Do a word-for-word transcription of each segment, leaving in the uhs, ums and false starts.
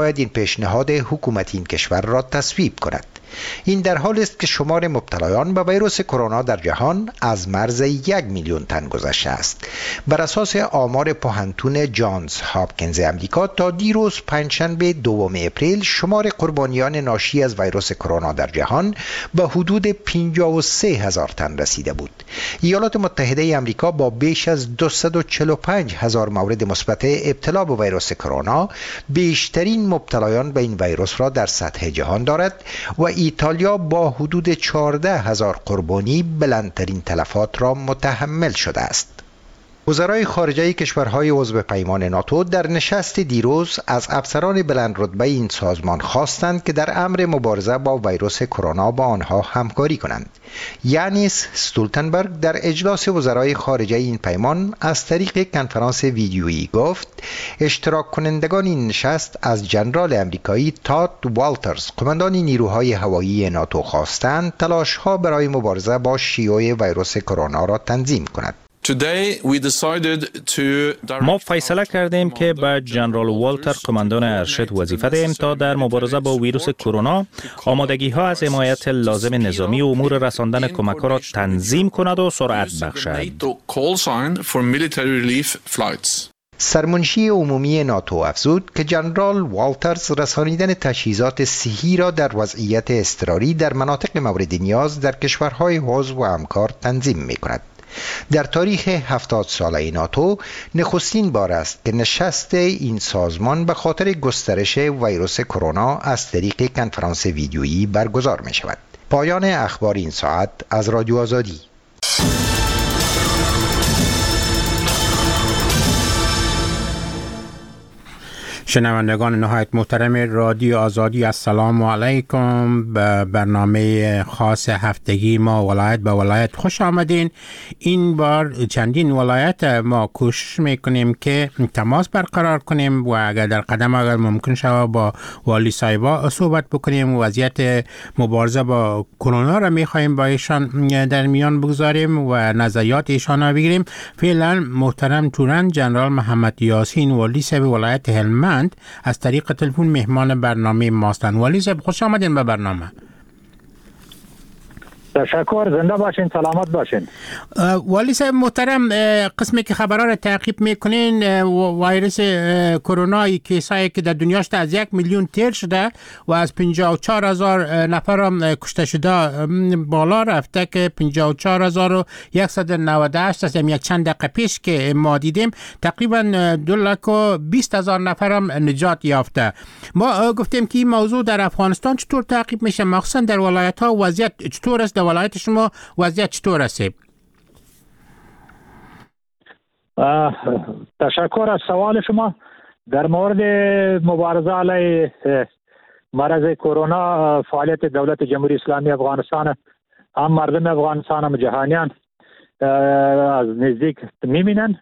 باید این پیشنهاد حکومت این کشور را تصویب کند. این در حال است که شمار مبتلایان به ویروس کرونا در جهان از مرز یک میلیون تن گذشته است. بر اساس آمار پوهنتون جانز هاپکینز امریکا تا دیروز پنجشنبه دوم اپریل شمار قربانیان ناشی از ویروس کرونا در جهان به حدود پنجاه و سه هزار تن رسیده بود. ایالات متحده امریکا با بیش از دویست و چهل و پنج هزار مورد مثبت ابتلا به ویروس کرونا بیشترین مبتلایان به این ویروس را در سطح جهان دارد و ایتالیا با حدود چهارده هزار قربانی بلندترین تلفات را متحمل شده است. وزرای خارجه کشورهای عضو پیمان ناتو در نشست دیروز از افسران بلند رتبه این سازمان خواستند که در امر مبارزه با ویروس کرونا با آنها همکاری کنند. یانیس ستولتنبرگ در اجلاس وزرای خارجه این پیمان از طریق کنفرانس ویدیویی گفت اشتراک کنندگان این نشست از جنرال امریکایی تاد والترز قماندان نیروهای هوایی ناتو خواستند تلاش‌ها برای مبارزه با شیوع ویروس کرونا را تنظیم کند. ما فیصله کردیم که به جنرال والتر قماندان ارشد وظیفه دهیم تا در مبارزه با ویروس کرونا آمادگی ها از حمایت لازم نظامی و امور رساندن کمک ها را تنظیم کند و سرعت بخشد. سرمنشی عمومی ناتو افزود که جنرال والترز رسانیدن تجهیزات صحی را در وضعیت اضطراری در مناطق مورد نیاز در کشورهای عضو و همکار تنظیم می کند. در تاریخ هفتاد ساله ناتو نخستین بار است که نشست این سازمان به خاطر گسترش ویروس کرونا از طریق کنفرانس ویدیویی برگزار می شود. پایان اخبار این ساعت از رادیو آزادی. شنوندگان نهایت محترم رادیو آزادی، السلام علیکم. به برنامه خاص هفتگی ما ولایت به ولایت خوش آمدین. این بار چندین ولایت ما کوشش میکنیم که تماس برقرار کنیم و اگر در قدم اگر ممکن شود با والی صاحبا صحبت بکنیم. وضعیت مبارزه با کرونا را میخواهیم با ایشان در میان بگذاریم و نظریات ایشان را بگیریم. فعلا محترم تورن جنرال محمد یاسین والی صاحب ولایت هلمند از طریق تلفن مهمان برنامه ماستند. والی صاحب خوش آمدین به برنامه. تشکر، زنده باشین، سلامت باشین. والی صاحب محترم، قسمی که خبرها را تعقیب میکنین، ویروس کرونا کیسایی که در دنیا شده از یک میلیون تیر شده و از پنجاه و چهار هزار نفر هم کشته شده بالا رفته که پنجاه و چهار هزار و صد و نود و هشت است. یک چند دقیقه پیش که ما دیدیم تقریبا دو لک و بیست هزار نفر هم نجات یافته. ما گفتیم که این موضوع در افغانستان چطور تعقیب میشه، مخصوصا در ولایت ها وضعیت چطور است؟ در ولایت شما وضعیت چطور است؟ تشکر از سوال شما. در مورد مبارزه علیه مرض کرونا، فعالیت دولت جمهوری اسلامی افغانستان هم مردم افغانستان هم جهانیان از نزدیک می‌بینن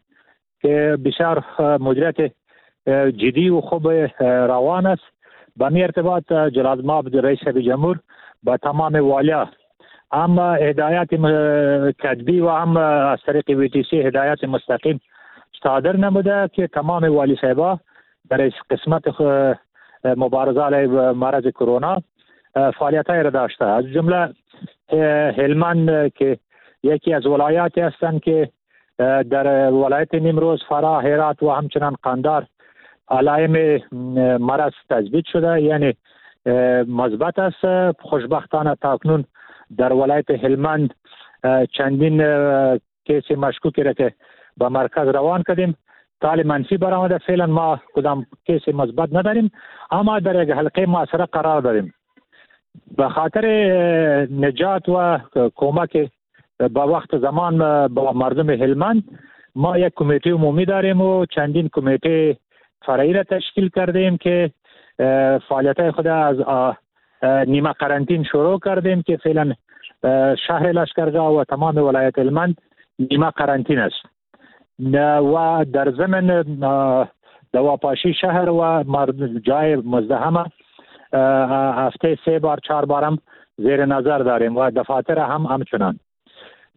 که بسیار مدیریت جدی و خوب روان است. به می ارتباط جلال مآب رئیس جمهور با تمام والیا هم هدایت کتبی و هم از طریق وی تی سی هدایت مستقیم صادر نموده که تمام والی صاحبا در قسمت مبارزه علیه مرض کرونا فعالیت‌های را داشته. از جمله هلمند که یکی از ولایاتی هستند که در ولایت نیمروز، فراه، هرات و همچنان قندار علائم مرض تثبیت شده، یعنی مثبت است. خوشبختانه تاکنون در ولایت هلمند چندین کیس مشکوکی را که به مرکز روان کردیم تال منفی برآمده. فعلا ما کدام کیس مثبت نداریم، اما در یک حلقه محاصره قرار داریم. به خاطر نجات و کمک با وقت زمان با مردم هلمند ما یک کمیته عمومی داریم و چندین کمیته فرعی را تشکیل کردیم که فعالیت خود از نیمه قرنطین شروع کردیم که فعلا شهر لشکرگاه و تمام ولایت هلمند نیمه قرنطین است و در ضمن دواپاشی شهر و جای مزدحمه هفته سه بار چهار بارم زیر نظر داریم و دفاتر هم همچنان.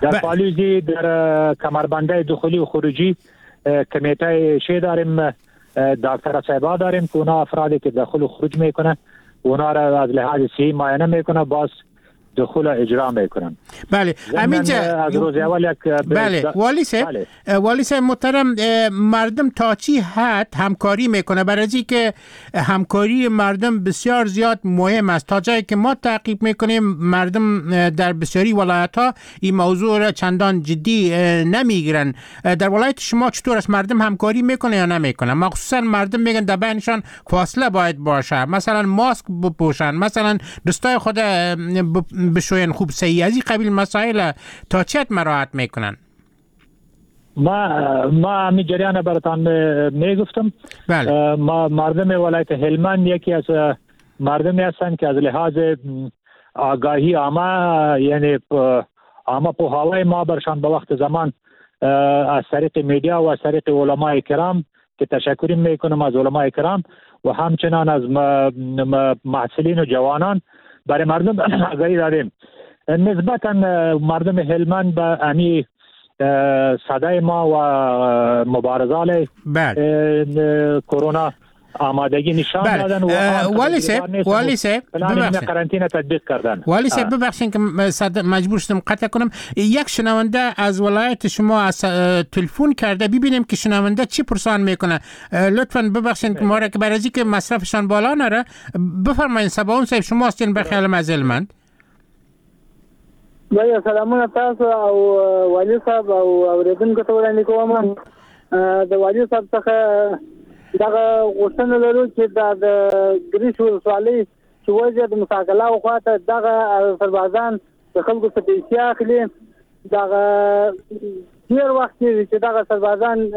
در پالیزی در کمربنده دخولی و خروجی کمیته شی داریم، دکتر صاحبا داریم که اونا افرادی که دخول و خروج میکنه اونا را از لحاظ صحی معاینه میکنه، باز دخول اجرا میکنن. بله همینجا از روز اول یک بله والی صاحب، بله. والی صاحب محترم، مردم تا چی حد همکاری میکنه؟ برای که همکاری مردم بسیار زیاد مهم است. تا جایی که ما تعقیب میکنیم مردم در بسیاری ولایت ها این موضوع را چندان جدی نمیگیرن. در ولایت شما چطور است؟ مردم همکاری میکنه یا نمیکنه؟ مخصوصا مردم میگن در بینشان فاصله باید باشه، مثلا ماسک بپوشن، مثلا دستای خود بشوین خوب صحیح، از این قبیل مسائل تا چه مراعات میکنن؟ ما ما همین جریان براتان میگفتم. بله. ما مردم ولایت هلمند یکی از مردمی هستند که از لحاظ آگاهی عامه، یعنی عامه پوهاوی ما برشان به وقت زمان از طریق میدیا و از طریق علمای کرام که تشکر میکنم از علمای کرام و همچنان از محصلین و جوانان برای مردم آگاهی دادیم. نسبتا مردم هلمند به امی صدای ما و مبارزه علیه کرونا آمادگی نشان دادن و والی صاحب، والی صاحب ببخشید قرنطینه تطبیق کردن. والی صاحب ببخشید که مجبور شدم قطع کنم. یک شنونده از ولایت شما از تلفن کرده، ببینیم که شنونده چی پرسان میکنه. لطفاً ببخشید که ما را که برای که مصرفشان بالا نره. بفرمایید سباون صاحب، شما هستین به خیال از هلمند. بله سلامونه تاسو او والی صاحب او اوریدونکو ته وړاندې کوم. د والی صاحب څخه دغه غوښتنه لرو چې دا د ګریش ولسوالۍ چې وضعیت د مساکلاو خواته دغه سربازان د خلکو څخه پیسې اخلي، دغه ډېر وخت کېږي چې دغه سربازان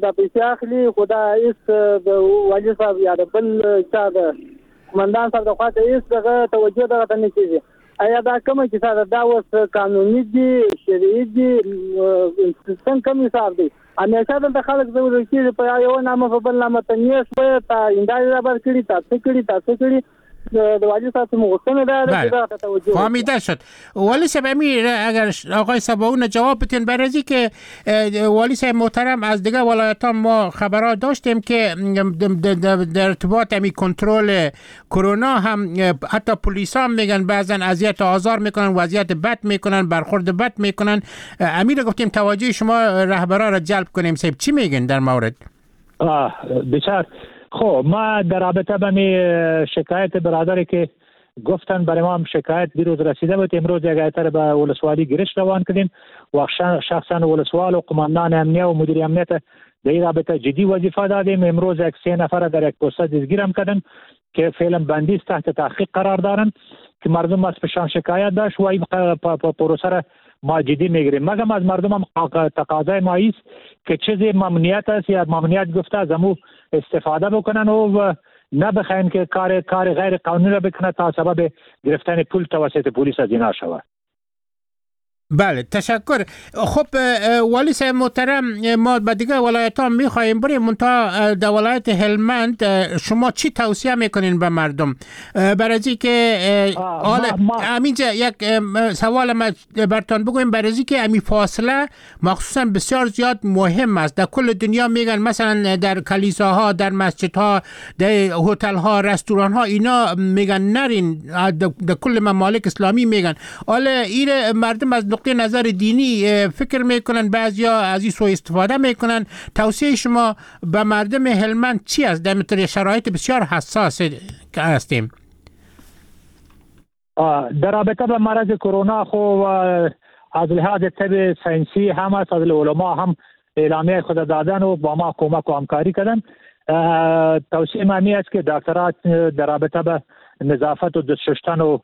دا پیسې اخلي، خو دا هېڅ د والي صاحب یا د بل چا د قومندان صاحب د خواته هېڅ دغه توجه دغه ته نه کېږي. آیا دا کومه کیسه ده؟ دا اوس قانوني دي، شرعي دي، څنګه کوم حساب دی؟ همیشه دلته خلک ځورول کېږي په یوه نامه په بل نامه، ته نیش وایه، تا هندارې رابر کړي، تا څه کړي، تا څه کړي. د والی صاحب مو غوښتنه دا ده که دغه توجه فهمیده شد. والی صاحب امیر اگر آقای سباون جواب بتین برای که والی صاحب محترم از دیگه ولایت ها ما خبرات داشتیم که در ارتباط امی کنترل کرونا هم حتی پلیس هم میگن بعضا اذیت آزار میکنن، وضعیت بد میکنن، برخورد بد میکنن. امیر گفتیم توجه شما رهبرا را جلب کنیم. صاحب چی میگن در مورد؟ آه بچار خب ما در رابطه با می شکایت برادری که گفتن برای ما هم شکایت دیروز رسیده بود، امروز یک ایتر به ولسوالی گرش روان کردیم و شخصا ولسوال و قماندان امنیه و مدیر امنیت در این رابطه جدی وظیفه دادیم. امروز یک سه نفر در یک پست دستگیرم کردن که فعلا بندی تحت تحقیق قرار دارن که مردم از پشان شکایت داشت و این پروسه را ما جدی میگیریم. مگم از مردم هم تقاضای ما است که چیزی ممنوعیت است یا ممنوعیت گفته از امو استفاده بکنن و نبخواین که کار کار غیر قانونی را بکنه تا سبب گرفتن پول توسط پلیس از اینا شود. بله تشکر. خب والی صاحب محترم، ما به دیگه ولایت ها میخواهیم بریم، منتها در ولایت هلمند شما چی توصیه میکنین به مردم؟ برای که همینجا یک سوال ما برتان بگویم، برای که امی فاصله مخصوصا بسیار زیاد مهم است. در کل دنیا میگن مثلا در کلیساها، در مسجدها، در هتل ها، رستوران ها، اینا میگن نرین، در کل ممالک اسلامی میگن. حالا این مردم از نقطه نظر دینی فکر میکنن، بعضیا از این سوء استفاده میکنن. توصیه شما به مردم هلمند چی است در مثل شرایط بسیار حساس که هستیم؟ در رابطه به مرض کرونا خو از لحاظ طب ساینسی هم از علما هم اعلامیه خود دادن و با ما کمک و همکاری کردن. توصیه ما است که دکترات در رابطه به نظافت و دست شستن و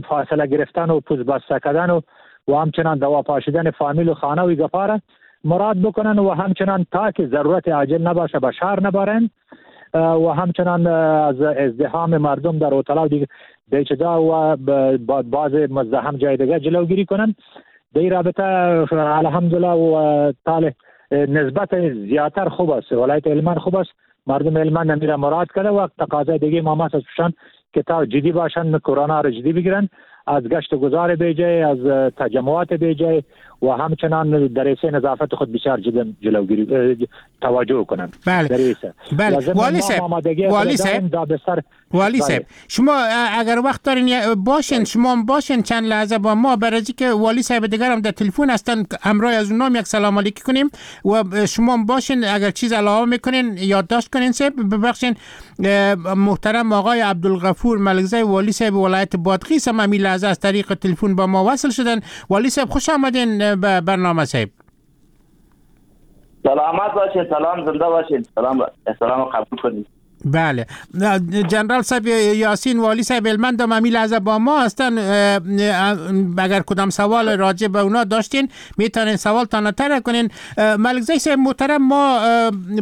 فاصله گرفتن و پوست بسته کردن و و همچنان دوا پاشیدن فامیل و خانه و گپاره مراد بکنن و همچنان تا که ضرورت عاجل نباشه به شهر نبرن و همچنان از ازدحام مردم در هتل‌ها دیگه دیچدا و بعض مزدحم جای دیگه جلوگیری کنن. در این رابطه الحمدلله و طالع نسبت زیادتر خوب است، ولایت هلمند خوب است، مردم هلمند میره مراد کرده و تقاضای دیگه ما از پشان که تا جدی باشن، کرونا را جدی بگیرن، از گشت و گذار بیجای، از تجمعات بیجای و همچنان در حیث نظافت خود بسیار جدا جلوگیری توجه کنند. بله بله. والی صاحب، والی صاحب، والی صاحب، شما اگر وقت دارین باشین، شما هم باشین چند لحظه با ما، برای که والی صاحب دیگر هم در تلفن هستن، همراه از اونام یک سلام علیکی کنیم و شما هم باشین، اگر چیز علاوه میکنین یادداشت کنین. صاحب ببخشین، محترم آقای عبدالغفور ملکزی والی صاحب ولایت بادغیس هم همین لحظه از طریق تلفن با ما وصل شدن. والی صاحب خوش آمدین به برنامه صاحب. سلامت باشین، سلام، زنده باشین، سلام، سلام قبول کنید. بله جنرال صاحب یاسین والی صاحب هلمند هم همین لحظه با ما هستن. اگر کدام سوال راجع به اونا داشتین میتونین سوال تان طرح کنین. ملکزی صاحب محترم، ما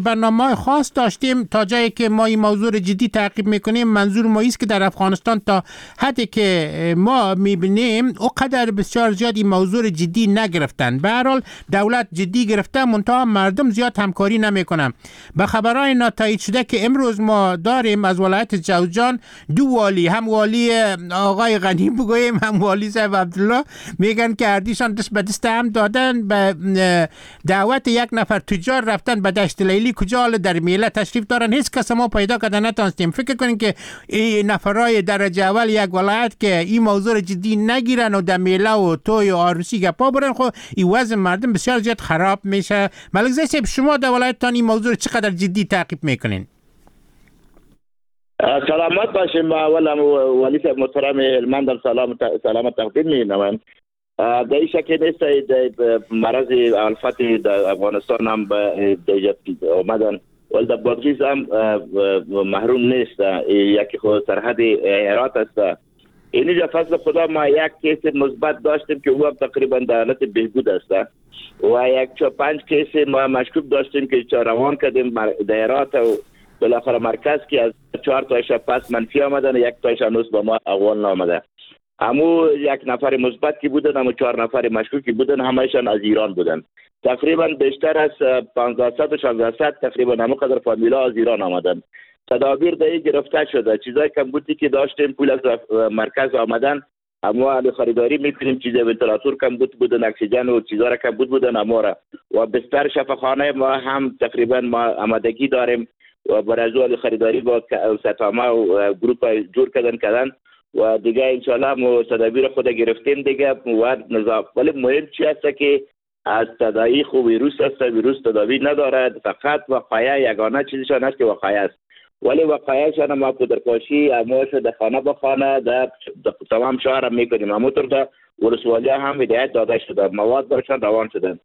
برنامه خاص داشتیم تا جایی که ما این موضوع رو جدی تعقیب میکنیم. منظور ما ایست که در افغانستان تا حدی که ما میبینیم اوقدر بسیار زیاد این موضوع رو جدی نگرفتن. به هر حال دولت جدی گرفته، منتها مردم زیاد همکاری نمیکنن. به خبرهای ناتایید شده که امروز ما داریم از ولایت جوزجان دو والی، هم والی آقای غنی بگوییم هم والی صاحب عبدالله، میگن که هردیشان دست به دست هم دادن، به دعوت یک نفر تجار رفتن به دشت لیلی، کجا حال در میله تشریف دارن، هیچ کس ما پیدا کردن نتونستیم. فکر کنین که این نفرای درجه اول یک ولایت که این موضوع جدی نگیرن و در میله و توی و عروسی گپا برن، خب این وضع مردم بسیار زیاد خراب میشه. ملک زاده صاحب، شما در ولایتتان این موضوع چقدر جدی تعقیب میکنین؟ سلامت باشیم. اولا والی صاحب محترم هلمند سلام سلام تقدیم می‌نمایم. در این شک نیست مرض الفت در افغانستان هم به آمدن، ولی در بادغیس هم محروم نیست. یکی خود سرحد هرات است. اینجا فضل خدا ما یک case مثبت داشتیم که او هم تقریبا در حالت بهبود است و یک چهار پنج case ما مشکوک داشتیم که روان کردیم در هرات و بالاخره مرکز که از چهار تایش پس منفی آمدن، یک تایش هنوز با ما اول نامده. امو یک نفر مثبت که بودن، امو چهار نفر مشکوک که بودن، همه‌شان از ایران بودن. تقریبا بیشتر از پانزده و شانزده تقریبا همو قدر فامیلا از ایران آمدن. تدابیر دهی گرفته شده. چیزای کمبودی که داشتیم پول از مرکز آمدن، اما علی خریداری میکنیم. چیز ونتیلاتور کمبود بودن، اکسیژن و چیزا را کمبود بودن اما را. و بستر شفاخانه ما هم تقریبا ما آمادگی داریم و برای از خریداری با ستامه و گروپ جور کردن کردن و دیگه انشالله ما تدابیر خود گرفتیم دیگه و نظام. ولی مهم چی است که از تداعی خو ویروس است، ویروس تداوی ندارد، فقط وقایع یگانه چیزشان است که وقایع است. ولی وقایعشان ما پودرپاشی اموش در خانه به خانه در تمام شهر میکنیم. همونطور در ولسوالی هم هدایت داده شده، مواد برشان روان شدن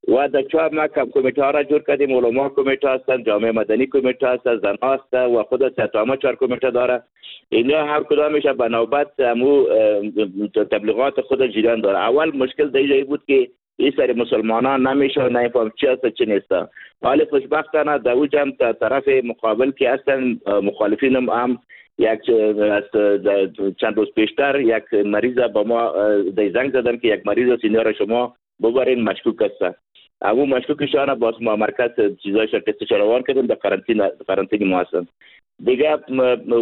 و در چهار ما کم کمیته ها را جور کردیم. علما کمیته هستند، جامعه مدنی کمیته هست، زن هست و خود ستامه چهار کمیته داره. اینا هر کدامش به نوبت امو تبلیغات خود جریان داره. اول مشکل در اینجا بود که این سری مسلمانان نمیشه نمیفهم چی هست چی نیست. حالا خوشبختانه در او جمع طرف مقابل که هستن مخالفینم هم یک چند روز پیشتر یک مریض با ما زنگ زدن که یک مریض سینیور شما ببرین مشکوک است. امو مشکوکشان باز ما مرکز چیزایش تستش روان کردیم، در قرنطینه قرنطینه ما هستن دیگه.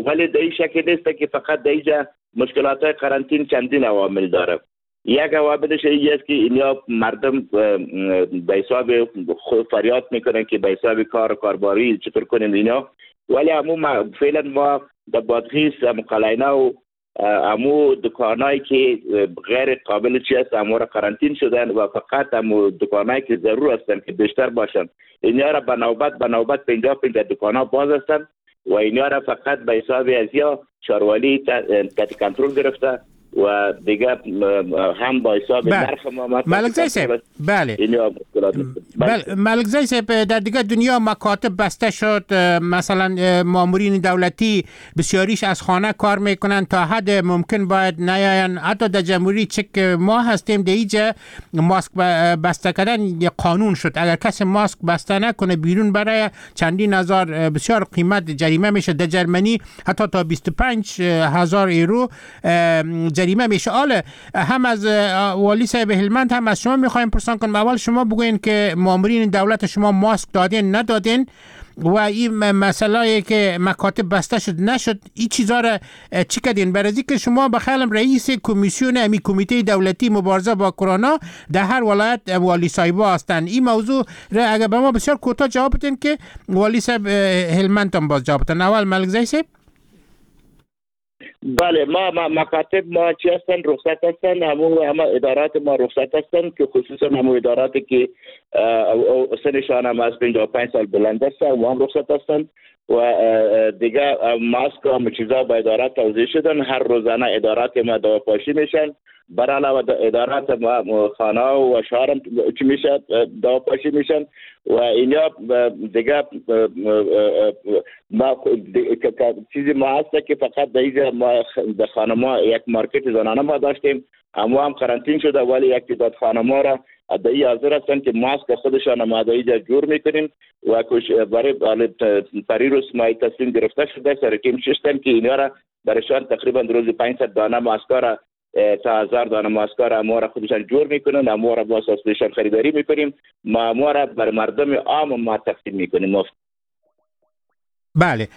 ولی در این شکل نیست که فقط در اینجا مشکلات قرنطین چندین عوامل داره. یک عواملش این است که اینا مردم به حساب خود فریاد میکنن که به حساب کار و کارباری چطور کنیم اینا. ولی امو فعلا ما در بادغیس قلعه و امو دکانایی که غیر قابل چی است امو را قرنطین شدن و فقط امو دکانایی که ضرور هستن که بیشتر باشن اینا را به نوبت به نوبت پنجاه پنجاه دکانا باز هستن و اینا را فقط به حساب ازیا شاروالی تحت کنترل گرفته و دیگه هم با حساب نرخ ما. ملک صاحب بله بله ملک صاحب، در دیگه دنیا مکاتب بسته شد، مثلا مامورین دولتی بسیاریش از خانه کار میکنن، تا حد ممکن باید نیاین. حتی در جمهوری چک ما هستیم در اینجا ماسک بسته کردن قانون شد، اگر کسی ماسک بسته نکنه بیرون برای چندین هزار بسیار قیمت جریمه میشه. در جرمنی حتی تا بیست و پنج هزار یورو جریمه میشه. حالا هم از والی صاحب هلمند هم از شما میخوایم پرسان کنم. اول شما بگوین که مامورین دولت شما ماسک دادین ندادین و این مسئله که مکاتب بسته شد نشد، این چیزا را چی کردین؟ برای که شما به خیالم رئیس کمیسیون امی کمیته دولتی مبارزه با کرونا در هر ولایت والی صاحبا هستند. این موضوع را اگر به ما بسیار کوتاه جواب بدین که والی صاحب هلمند هم باز جواب بدن. اول ملکزی صاحب. بله، ما, ما مکاتب ما چی هستن؟ رخصت هستن. همو همه ادارات ما رخصت هستن که خصوصا همو اداراتی که سنشان هم از پنجاه و پنج سال بلند هستن و هم رخصت هستن و دیگه ماسک و همه چیزا با ادارات توزیع شدن. هر روزانه ادارات ما دواپاشی میشن، بر علاوه ادارات ما خانه و شهر هم چی میشه دواپاشی میشن و اینا دیگه ما چیزی ما هست که فقط در ما در خانما یک مارکت زنانه ما داشتیم، اما هم قرنطین شده، ولی یک تعداد خانما را ادعی حاضر هستند که ماسک خودشان ما ادعی جور میکنیم و برای پریروز ما تصمیم گرفته شده سر تیم ششتن که اینا را برایشان تقریبا روز پانصد دانه ماسک را تا هزار دانه ماسک را ما را خودشان جور میکنن، ما را باز از خودشان خریداری میکنیم، ما ما را بر مردم عام ما تقسیم میکنیم. بله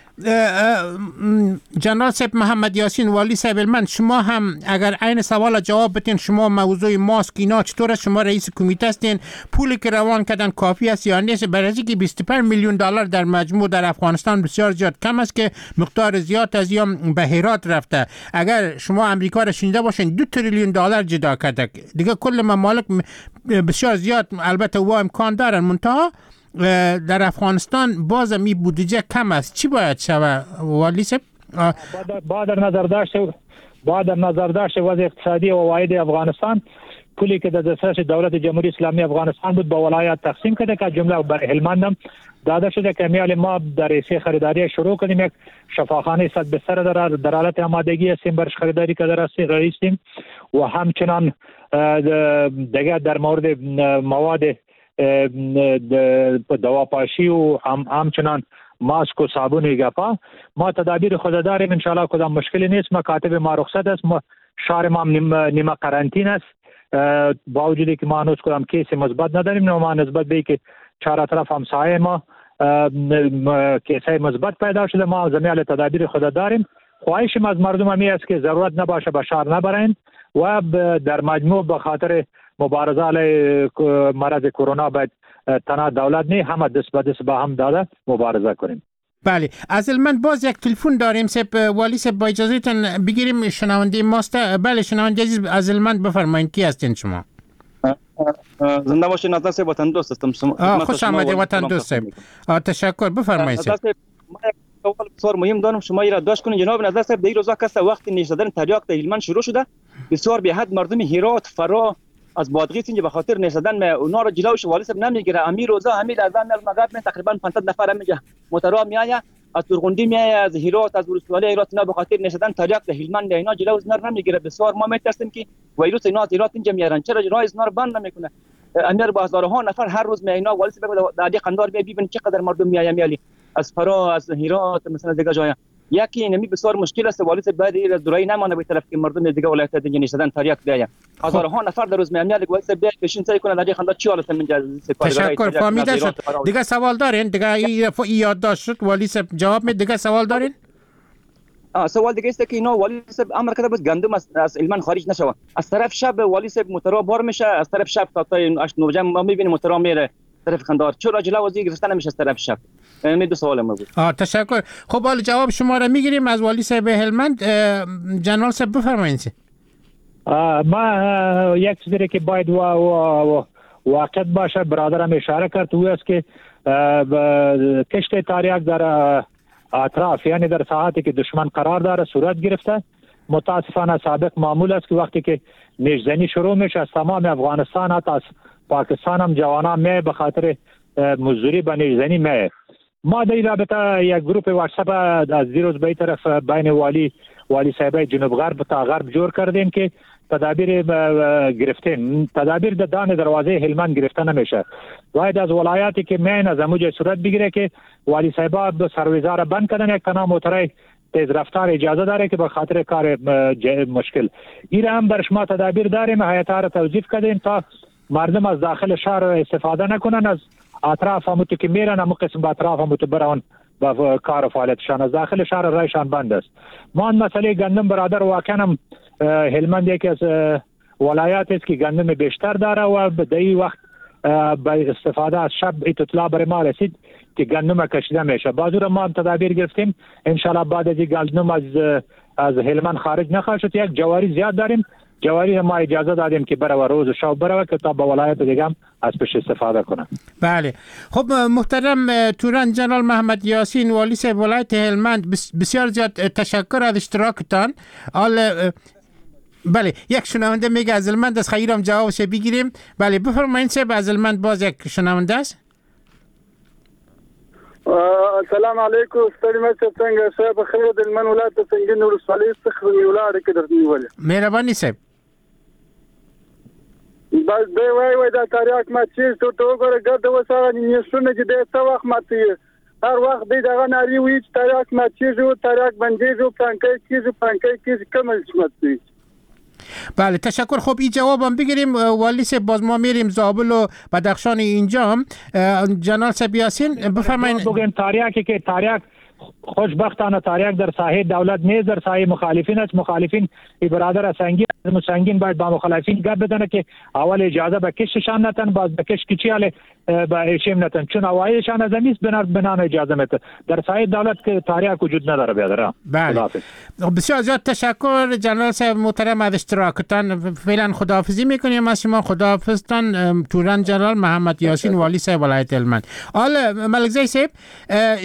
جنرال صاحب محمد یاسین والی صاحب هلمند، شما هم اگر عین سوال جواب بدین، شما موضوع ماسک اینا چطور است؟ شما رئیس کمیته هستین، پولی که روان کردن کافی است یا نیست؟ برای اینکه بیست و پنج میلیون دلار در مجموع در افغانستان بسیار زیاد کم است که مقدار زیاد از یا به هرات رفته. اگر شما امریکا را شنیده باشین دو تریلیون دلار جدا کرده، دیگه کل ممالک بسیار زیاد البته و امکان دارن، منتها در افغانستان بازم این بودجه کم است. چی باید شود والی صاحب؟ با در نظر داشت با در نظر داشت وضع اقتصادی و عواید افغانستان، پولی که در دسترس دولت جمهوری اسلامی افغانستان بود با ولایات تقسیم کرده که جمله بر هلمند هم داده شده که میال ما در رئیس خریداری شروع کردیم. یک شفاخانه صد بستر در در حالت آمادگی هستیم برش خریداری که در رئیسیم و همچنان دیگه در مورد مواد دواپاشی و هم همچنان ماسک و صابون گپا ما تدابیر خود داریم. ان شاء الله کدام مشکلی نیست. مکاتب ما رخصت است، ما شهر ما نیمه قرنطین است، با وجودی که ما هنوز کدام کیس مثبت نداریم، ما نسبت به که چهار طرف همسایه ما کیسای مثبت پیدا شده، ما زمیال تدابیر خود داریم. خواهش ما از مردم همی است که ضرورت نباشه به شهر نبرند و در مجموع به خاطر مبارزه علیه مرض کرونا باید تنها دولت نه، همه دست به دست با هم داده مبارزه کنیم. بله از هلمند باز یک تلفن داریم سپ والی سپ، با اجازه تان بگیریم شنونده ماست. بله شنونده عزیز از هلمند بفرمایید، کی هستین شما؟ زنده باشین نظر صاحب، وطن دوست هستم. خوش آمدید وطن دوست صاحب، تشکر. بفرمایید. سوال بسیار مهم دارم، شما را داشت کنید جناب نظر صاحب. در این روزا کس وقت نیش زدن تریاک در هلمند شروع شده، بسیار به حد مردم هرات فرا از بادغیس اینجا به خاطر نشدن ما اونا رو جلوش والی صاحب نمیگیره. امیر روزا همین لحظه از مغرب من تقریبا پانصد نفر میگه موتورا میآید از تورغندی میآید از هرات از ولسوالی هرات، اینا به خاطر نشدن تریاک در هلمند اینا جلو از نر نمیگیره. بسیار ما میترسیم که ویروس اینا از هرات اینجا میارن، چرا راه از نر بند نمیکنه؟ امیر با هزارها نفر هر روز می اینا والی صاحب در قندار ببین چقدر مردم میآید میالی از فرا از هرات مثلا دیگه جای. یکی نمی بسیار مشکل است والی صاحب باید از دورای نمانه به طرف که مردم دیگه ولایت دیگه نشدن تریاک بیاید. هزارها نفر در روز میامیاد والی صاحب پیشین سعی کنه در خنده چی حالت من. تشکر فهمیده شد. دیگه سوال دارین؟ دیگه این یادداشت شد والی صاحب جواب می. دیگه سوال دارین؟ آه سوال دیگه است که اینا والی صاحب امر کرده بود گندم از از هلمند خارج نشوه. از طرف شب والی صاحب موتورا بار میشه، از طرف شب تا تا هشت نه ما میبینیم موتورا میره طرف قندار. چرا جلو وزیر گرفتن نمیشه از طرف شب؟ می دو سوال ما بود. آه تشکر. خب حالا جواب شما را میگیریم از والی صاحب هلمند. جنرال صاحب بفرمایید. ما یک چیزی که باید و و واقع باشه برادرم اشاره کرد او است که کشت تریاک در اطراف یعنی در ساعتی که دشمن قرار داره صورت گرفته. متاسفانه سابق معمول است که وقتی که نیشزنی شروع میشه از تمام افغانستان حتی از پاکستان هم جوانان می به خاطر مزدوری به نیشزنی می. ما در این رابطه یک گروپ واتساپ از دیروز به این طرف بین والی والی صاحب جنوب غرب تا غرب جور کردیم که تدابیر گرفتیم. تدابیر در دان دروازه هلمند گرفته نمیشه، باید از ولایاتی که مین از اموجه صورت بگیره که والی صاحب سرویزا را بند کردن، یک تنها موترای تیز رفتار اجازه داره که به خاطر کار مشکل این هم بر شما تدابیر داریم. هیئت را توظیف کردیم تا مردم از داخل شهر استفاده نکنن، از اطراف همو که میرن همو قسم به اطراف همو برون با کار و فعالیتشان از داخل شهر رایشان بند است. ما مسئله گندم برادر واقعا هم هلمند یکی از ولایات است که گندم بیشتر داره و به این وقت با استفاده از شب اطلاع برای ما رسید که گندم کشیده میشه. باز را ما تدابیر گرفتیم، انشالله بعد از این گندم از از هلمند خارج نخواهد شد. یک جواری زیاد داریم، جواری ما اجازه دادیم که برای روز و شب برای که تا به ولایت دیگه هم از پیش استفاده کنه. بله خب محترم توران جنرال محمد یاسین والی صاحب ولایت هلمند، بسیار زیاد تشکر از اشتراکتان. حال بله یک شنونده میگه از هلمند از خیرم جوابش بگیریم. بله بفرمایید صاحب، از هلمند باز یک شنونده است. السلام علیکم ستړي مه شئ، څنګه صاحب؟ خیر د هلمند ولایت د سنګین ولسوالۍ څخه مې ولاړ کې درته نیولې. مهرباني صاحب. بس دی وای وای دا تریاک مات چیز ته ورته وګوره، ګرده اوس هغه نیشونه چې دی څه وخت ماتوي، هر وخت دی دغه نارې وایي چې تریاک مات کېږي، تریاک بندېږي، پلانکی کېږي، پلانکی کېږي، کوم چې ماتوي. بله تشکر. خب این جوابم بگیریم والی صاحب، باز ما میریم زابل و بدخشان اینجا هم. جنرال صاحب یاسین بفرمایید. بگیم تریاکی که تریاک خوشبختانه تریاک در ساحه دولت نیست، در ساحه مخالفین است. مخالفین ای برادر سنگین سنگین باید با مخالفین گپ بزنه که اول اجازه به کششان نتن، باز به کش کچی حاله به ایشیم نتن، چون اوایلشان از امیز بنا بنا اجازه میده. در ساحه دولت که تریاک وجود نداره بیادر. بله بسیار زیاد تشکر جنرال صاحب محترم از اشتراکتان. فعلا خداحافظی میکنیم از شما. خداحافظتان توران جنرال محمد یاسین والی صاحب ولایت هلمند. حالا ملکزی صاحب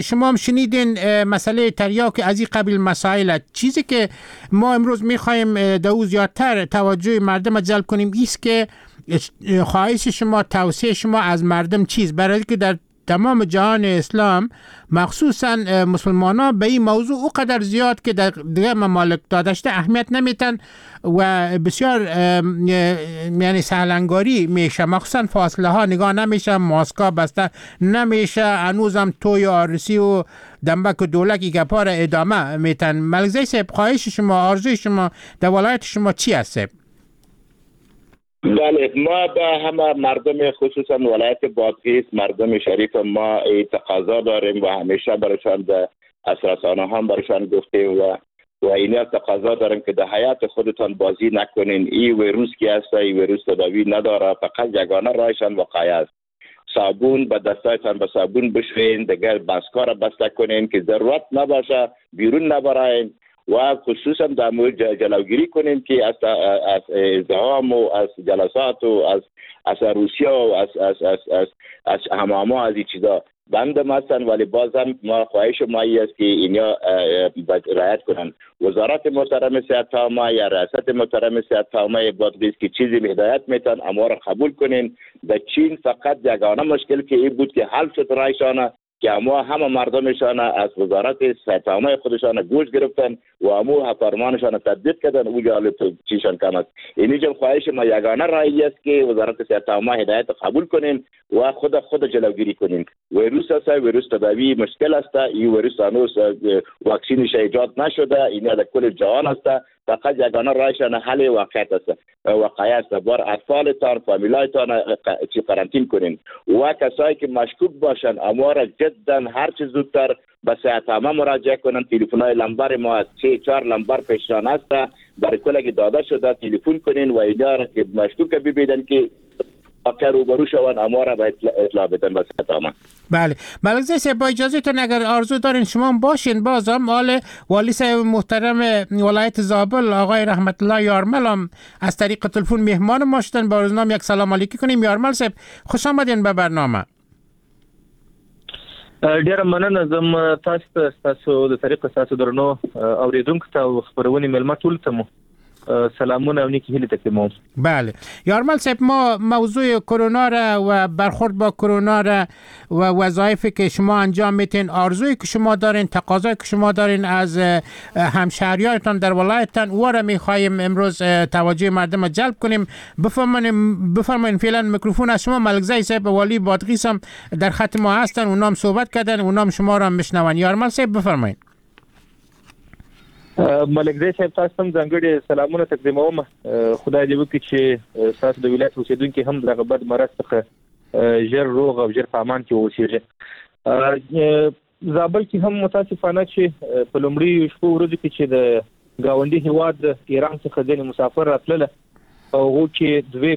شما هم شنیدین مسئله تریاک از این قبیل مسائل. چیزی که ما امروز میخوایم در او زیادتر توجه مردم جلب کنیم ایست که خواهش شما، توصیه شما از مردم چیز، برای که در تمام جهان اسلام مخصوصا مسلمان ها به این موضوع اوقدر زیاد که در دیگر ممالک دادشته اهمیت نمیتن و بسیار یعنی سهلنگاری میشه، مخصوصا فاصله ها نگاه نمیشه، ماسکا بسته نمیشه، هنوزم توی آرسی و دنبک و دولک ای گپا را ادامه میتن. ملکزی صاحب خواهش شما، آرزوی شما در ولایت شما چی هست؟ بله ما به همه مردم خصوصا ولایت بادغیس، مردم شریف ما تقاضا داریم و همیشه برایشان در رسانه هم برایشان گفتیم و و اینا تقاضا داریم که در حیات خودتان بازی نکنین. این ویروس که هست، این ویروس تداوی نداره، فقط یگانه راهشان وقایه است. صابون به دستایتان به صابون بشوین، دیگر بسکا را بسته کنین که ضرورت نباشه بیرون نبراین و خصوصا در مورد جلوگیری کنیم که از از ازدحام و از جلسات و از از روسیه و از از از از از حماما از این چیزا بند هستن، ولی بازم ما خواهش ما ای است که اینا رعایت کنن. وزارت محترم صحت عامه یا ریاست محترم صحت عامه بادغیس که چیزی هدایت میتن اما را قبول کنین. در چین فقط یگانه مشکل که این بود که حل شد رایشانه که اما همه مردمشان از وزارت صحت عامه خودشان گوش گرفتن و امو فرمانشان تطبیق کردن، او جالب چیشان کم است. اینجا خواهش ما یگانه رای است که وزارت صحت عامه هدایت قبول کنین و خود خود جلوگیری کنین. ویروس است، ویروس تداوی مشکل است، این ویروس هنوز واکسینش ایجاد نشده، این در کل جهان است. فقط یگانه رایشان حل واقعیت است، واقعیت است. بار اطفالتان، فامیلایتان چی قرنطین کنین و کسایی که مشکوک باشن اما را جدا هر چه زودتر به صحت عامه مراجعه کنن. تلفن‌های لمبر ما از سه چهار لمبر پیشران است، برای کلگی داده شده، تلفن کنین و اینا را که مشکوک ببینن که واقعا روبرو شوند اما را باید اطلاع بدن به صحت عامه. بله ملکزی صاحب با اجازهتون اگر آرزو دارین شما باشین بازم حال والی صاحب محترم ولایت زابل آقای رحمت الله یارمل هم از طریق تلفن مهمان ما شدن، با روزنام یک سلام علیکی کنیم. یارمل صاحب خوش آمدین به برنامه. ډیره مننه زم تاسو ته، تاسو د طریق تاسو درنو اوریدونکو ته او خبرونې میلمه ټول ته مو سلامونه او نیکی هیلې تقدیموم. بله یارمل صاحب ما موضوع کرونا را و برخورد با کرونا را و وظایفی که شما انجام میتین، آرزویی که شما دارین، تقاضایی که شما دارین از همشهریانتان در ولایتتان، او را میخواهیم امروز توجه مردم را جلب کنیم. بفرمایین بفرمایین فعلا میکروفون از شما. ملکزی صاحب والی بادغیس هم در خط ما هستن، اونام صحبت کردن، اونام شما را میشنون. یارمل صاحب بفرمایین. ملکزی صاحب تاسو هم ځانګړي سلامونه تقدیموم. خدای دې وکړي چې تاسو د ولایت اوسېدونکي هم دغه بد مرض څخه ژر روغ او ژر په امان کې واوسېږي. زابل کې هم متاسفانه چې په لومړیو شپو ورځو کې چې د ګاونډي هیواد ایران څخه ځینې مسافر راتلله، په هغو کې دوې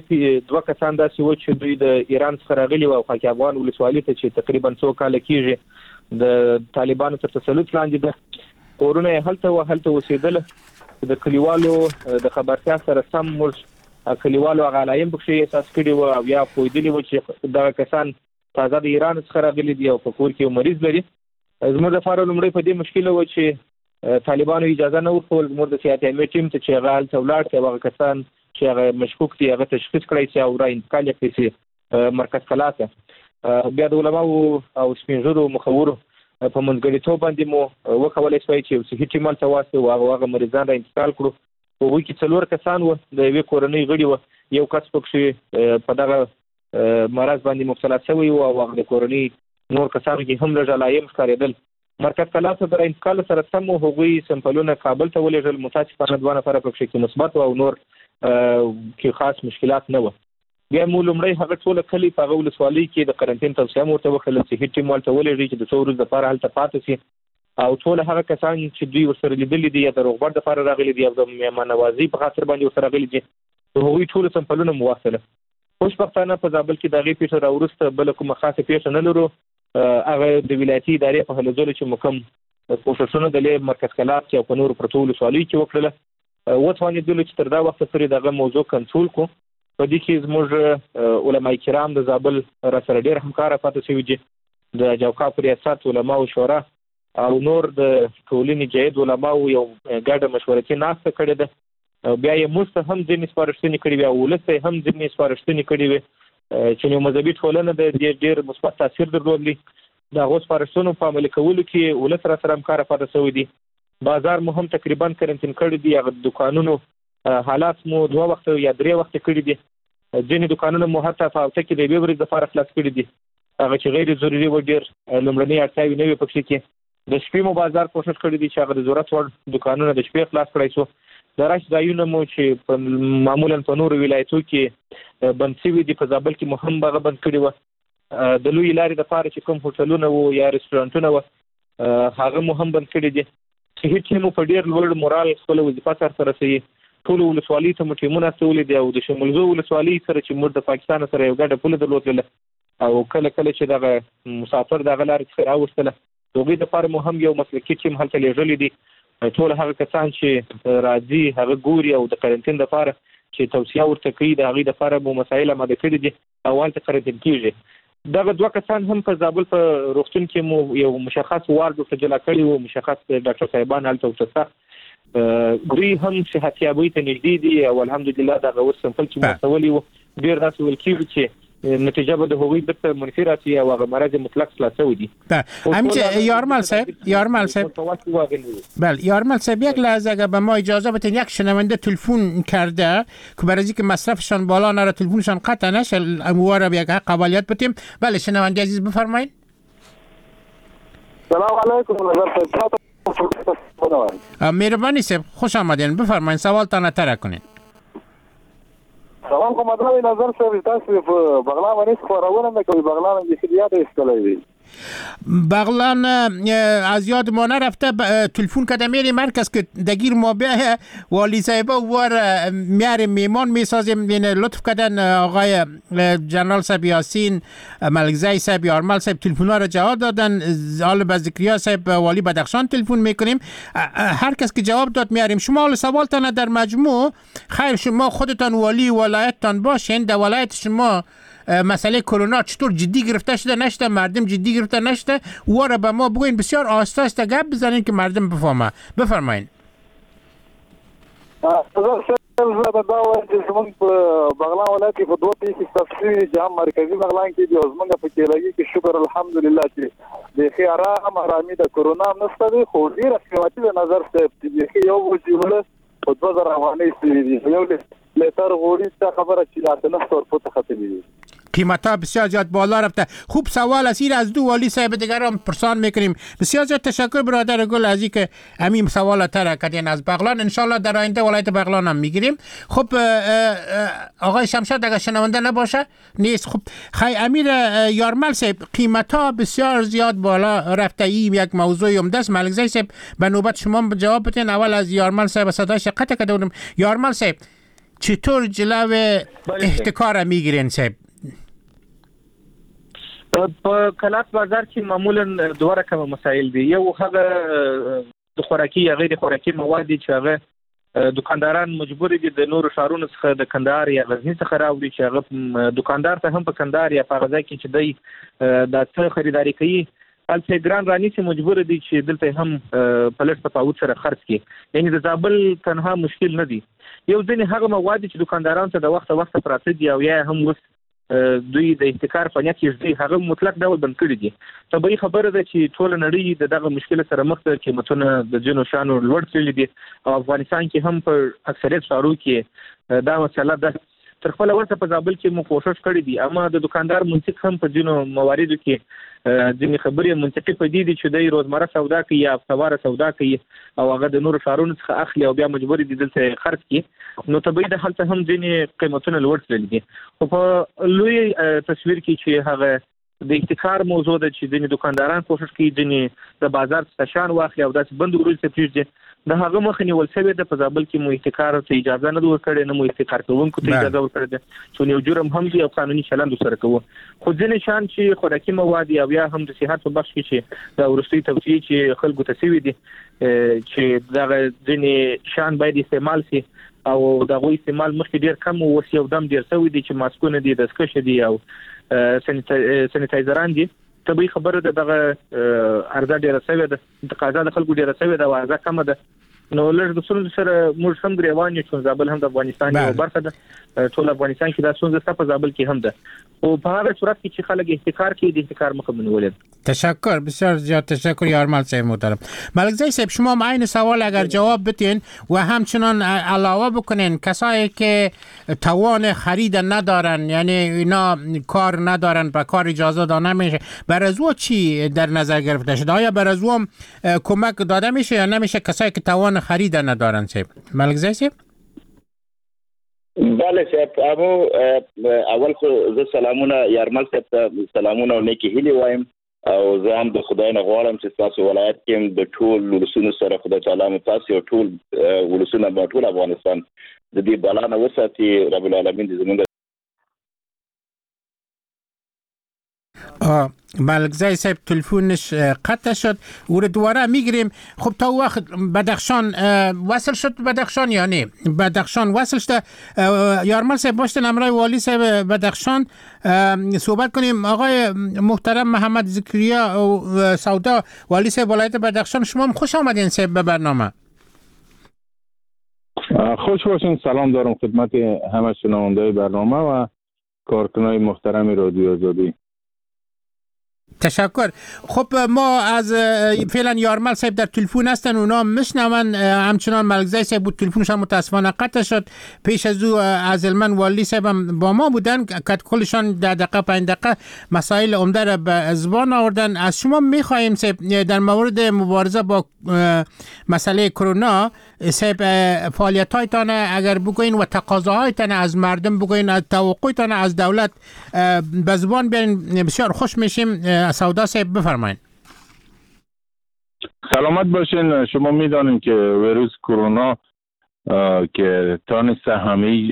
دوه کسان داسې وو چې دوی د ایران څخه راغلي وو او خاک افغان ولسوالي ته چې تقریبا څو کاله کېږي د طالبانو تر تسلط لاندې ده، کورونه یې هلته وه، هلته اوسېدله. د کلیوالو د خبرتیا سره سم موږ کلیوالو هغه علایم پکښې احساس کړي وو او یا پوهېدلي وو چې دغه کسان تازه د ایران څخه راغلي دي او په کور کې یو مریض لري. زموږ لپاره لومړی په دې مشکل و چې طالبانو اجازه نه ورکول زموږ د صحت عامې ټیم ته چې هغه هلته ولاړ شي او هغه کسان چې هغه مشکوک دي هغه تشخیص کړی شي او را انتقال یې کړی شي مرکز کلا ته. بیا د علماو او سپینږیرو مخورو په منځګړیتوب باندې مو وکولی شوای چې یو صحي ټیم هلته واستوو، هغه هغه مریضان را انتقال کړو. په هغوی کې څلور کسان وو، د یوې کورنۍ غړي وو، یو کس پکښې په دغه مرض باندې مبتلا شوی و او هغه د کورنۍ نور کسانو کې هم لږ علایم ښکارېدل. مرکز کلا ته د را انتقال سره سم مو هغوی سمپلونه کابل ته ولېږل. متاسفانه دوه نفره پکښې کې مثبت وو او نور کې خاص مشکلات نه وو. بیا مو لومړی هغه ټوله کلي په هغه ولسوالۍ کې د قرنطین توصیه مو ورته وکړله چې هیڅ ټیم هلته ولېږئ چې د څو ورځو دپاره هلته پاتې شي او ټول هغه کسان چې دوی ورسره لیدلي دي یا د روغبړ دپاره راغلي دي او د مهمانوازۍ په خاطر باندې ورسره راغلي دي، د هغوی ټولو سمپلونه مو واخیستله. خوشبختانه په زابل کې د هغې پېښه را وروسته بله کومه خاصه پېښه نه لرو. هغه د ولایتي ادارې په هلو ځلو چې مو کوم کوښښونه د لې مرکز کلات کې او په نورو پرتو ولسوالیو کې وکړله، وتوانېدلو چې تر دا وخته پورې دغه موضوع کنټرول کړو. په دې کې زموږ علماء کرام د زابل را سره ډېر همکاره پاتې شوي دي، د جوکاف ریاست، علماو شورا او نور د ټولنې جید علماو یو ګډه مشورتي ناسته کړې ده. بیا یې موږ ته هم ځینې سپارښتنې کړې وې او ولس ته یې هم ځینې سپارښتنې کړې وې چې یو مذهبي ټولنه ده، دې ډېر مثبت تاثیر درلود. د هغو سپارښتنو په عملي کولو کې ولس را سره همکاره پاتې شوی دي. بازار مو هم تقریبا کرنټین کړی دی، هغه دوکانونو حالات مو دوه وخته یا درې وخته کړي دي. ځینې دوکانونه مو حتی په هفته کې د یوې ورځې لپاره خلاص کړي دي، هغه چې غیر ضروري و ډېر لومړنۍ اړتیاوې نه وې پکښې کې. د شپې مو بازار کوښښ کړی دی چې هغه د ضرورت وړ دوکانونه د شپې خلاص کړای شو. د رش ځایونه مو چې په معمولا په نورو ولایتو کې بند شوي دي، په زابل کې مو هم هغه بند کړي وه. د لویې لارې دپاره چې کوم هوټلونه وو یا رستورانتونه وه هغه مو هم بند کړي دي. صحي ټیم مو په ډېر لوړ مورال خپله وظیفه سرته رسوي. ټولو ولسوالۍ ته مو ټیمونه استولي دي او د شمولزو ولسوالۍ سره چې موږ د پاکستان سره یو ګډه پوله درلودله او کله کله چې دغه مسافر دغه لارې څخه راوستله، د هغوی دپاره مو هم یو مسلکي ټیم هلته لېږلی دي. ټول هغه کسان چې راځي هغه ګوري او د قرنطین دپاره چې توصیه ورته کوي د هغوی دپاره مو مسایل اماده کړي دي او هلته قرنطین کېږي. دغه دوه کسان هم په زابل په روغتون کې مو یو مشخص وارډ ورته جلا کړی و، مشخص ډاکټر صاحبان هلته ورته سته. دوی هم صحتیابۍ ته نږدې دي او الحمدلله دغه اوس سمپل چې مو استولی و ډېر داسې ویل کېږي چې نتیجه به د هغوی بیرته منفي راسي او هغه مرض مطلق خلاص شوی دي. همچه یارمل صاحب، یارمل صاحب، بله یارمل صاحب، یک لحظه اگر به ما اجازه بدین، یک شنونده تلفن کرده که برای که مصرفشان بالا نره تلفنشان قطع نشه اموار به یک حق اولیت بدیم. بله شنونده عزیز بفرمایید. سلام علیکم نظر صاحب. مهربانی صاحب، خوش آمدین، بفرمایید سوالتان طرح کنین. سلام کوم درنه نظر صاحب، تاسو په بغلان باندې خبرونه نه کوي، بغلان یې یاد ایستلې دی. بغلان از یاد ما نرفته، تلفن کده میری مرکز که دگیر ما به والی صاحب وار میاریم میمان میسازیم. لطف کردن آقای جنرال صاحب یاسین ملکزی صاحب یارمل صاحب تلفن ها را جواب دادن. حالا به ذکریا صاحب والی بدخشان تلفن میکنیم، هر کس که جواب داد میاریم. شما حالا سوالتان در مجموع خیر، شما خودتان والی ولایتتان باشین، در ولایت شما مسئله کرونا چطور جدی گرفته شده نشده، مردم جدی گرفته نشده، او را به ما بگوین، بسیار آهسته آهسته گپ بزنین که مردم بفهمه. بفرمایین. زه دا وایم چې زموږ په بغلان ولایت کې په دوه پېښې ثبت شوي دي چې هم مرکزي بغلان کې دي او زموږ په کیلګي کې شکر الحمدلله چې بیخي ارام ارامي د کرونا هم نشته دی، خو ډېره قیمتي ده نظر صاحب چې بیخي یو بوجۍ اوړه په دوه زره افغانۍ شوي دي، یو لیتر غوړي دا خبره چې اته نهه سوه روپو ته ختلي دي. قیمت ها بسیار زیاد بالا رفته. خوب سوال است، از دو والی صاحب دیگر هم پرسان میکنیم. بسیار زیاد تشکر برادر گل از اینکه همین سوال طرح کردین از بغلان. انشالله در آینده ولایت بغلان هم میگیریم. خب آقای شمشاد اگر شنونده نباشه نیست. خب خی امیر یارمل صاحب، قیمت ها بسیار زیاد بالا رفته، این یک موضوع عمده است. ملکزی صاحب به نوبت شما جواب بدین. اول از یارمل صاحب صدایش قطع کرده بودم. یارمل صاحب چطور جلو احتکار میگیرین صاحب؟ په کلات بازار کې معمولا دوه رقمه مسایل دي. یو هغه د خوراکي یا غیر خوراکي مواد دي چې هغه دکانداران مجبور دي د نورو ښارونو څخه د کندهار یا غزني څخه راوړي، چې هغه دکاندار ته هم په کندهار یا په هغه ځای کې چې دی دا څه خریداري کوي هلته ګران رانیسي، مجبور دي چې دلته هم په لږ تفاوت سره خرڅ کړي. یعنې د زابل تنها مشکل نه دی. یو ځینې هغه مواد چې دکانداران ته د وخته وخته پراته دي او یا هم اوس دوی د احتکار په نیت کې ږدي، هغه مطلق ډول بند کړي دي. طبیعي خبره ده چې ټوله نړۍ د دغه مشکل سره مخ ده، قیمتونه د ځینو شیانو لوړ تللي دي او افغانستان کې هم په اکثریت ښارو کې دا مسله ده. تر خپله وسه په زابل کې مو کوښښ کړی دی، اما د دکاندار منطق هم په ځینو مواردو کې ځینې خبرې منطقي په دې دي چې دی روزمره سودا کوي یا هفتهواره سودا کوي او هغه د نورو ښارونو څخه اخلي او بیا مجبور دي دلته یې خرڅ کړي. نو طبیعي ده هلته هم ځینې قیمتونه لوړ تللي دي. خو په لوی تصویر کې چې هغه د احتکار موضوع ده چې ځینې دکانداران کوښښ کوي ځینې د بازار څخه شیان واخلي او داسې بندو ورځو ته پرېږدي، د هغه مخه نیول شوې ده. په زابل کې مو احتکار ته اجازه نه ده ورکړې، نه مو احتکار کوونکو ته اجازه ورکړې ده، څو یو جرم هم دی او قانوني چلند ورسره کوو. خو ځینې شیان چې خوراکي مواد او یا هم د صحت په بخش کې چې د وروستۍ توصیې چې خلکو ته سوي دي چې دغه ځینې شیان باید استعمال سي او د هغوی استعمال مخکې ډېر کم و، اوس یو دم ډېر سوی دی چې ماسکونه دي، دستکشې دي او سانیټایزران دي. طبیعي خبره ده دغه عرضه ډېره سوې ده، تقاضا د خلکو ډېره سوې ده او عرضه کمه ده. نو لږ د ستونزو سره موږ هم ګریوان یو، چې زابل هم د افغانستان یوه برخه ده، ټول افغانستان کې دا ستونزه شته، په زابل کې هم ده. خو په هغه صورت کې چې خلک احتکار کوي د احتکار مخه مو نیولې ده. تشکر، بسیار زیاد تشکر یارمل صاحب محترم. ملکزی صاحب شما هم عین سوال اگر جواب بتین و همچنان علاوه بکنین کسایی که توان خرید ندارن، یعنی اینا کار ندارن، به کار اجازه داده نمیشه، بر از او چی در نظر گرفته شده؟ آیا بر از او هم کمک داده میشه یا نمیشه کسایی که توان خرید ندارن؟ صاحب ملکزی صاحب. بله صاحب، امو اول خو زه سلامونه یارمل صاحب ته سلامونه او نیکې هیلې وایم، او زه هم د خدای نه غواړم چې ستاسو ولایت کې هم د ټول ولسونو سره خدای تعالی مو تاسو او ټول ولسونه به ټول افغانستان د دې بلا نه وساتي. رب العالمین دې زمونږ ملکزی صاحب تلفونش قطع شد، او رو دوباره میگیریم. خب تا وقت بدخشان وصل شد، بدخشان یا نه بدخشان وصل شده. یارمل صاحب باشتن امرای والی صاحب بدخشان صحبت کنیم. آقای محترم محمد زکریا سودا والی صاحب ولایت بدخشان، شما هم خوش آمدین صاحب به برنامه. خوش باشین، سلام دارم خدمت همه شنونده‌های برنامه و کارکنای محترم رادیو آزادی. تشکر. خب ما از فعلا یارمل صاحب در تلفن هستن، اونا میشنون. همچنان ملکزی صاحب بود، تلفنش هم متاسفانه قطع شد. پیش از او از المن والی صاحب هم با ما بودن که کلشان ده دقیقه پنج دقیقه مسائل عمده را به زبان آوردن. از شما میخواهیم صاحب در مورد مبارزه با مسئله کرونا صاحب فعالیت هایتان اگر بگوین و تقاضاهایتان از مردم بگوین، از توقعتان از دولت به زبان بیارین، بسیار خوش میشیم. سودا صاحب بفرمایید. سلامت باشین. شما میدانیم که ویروس کرونا که تانست همه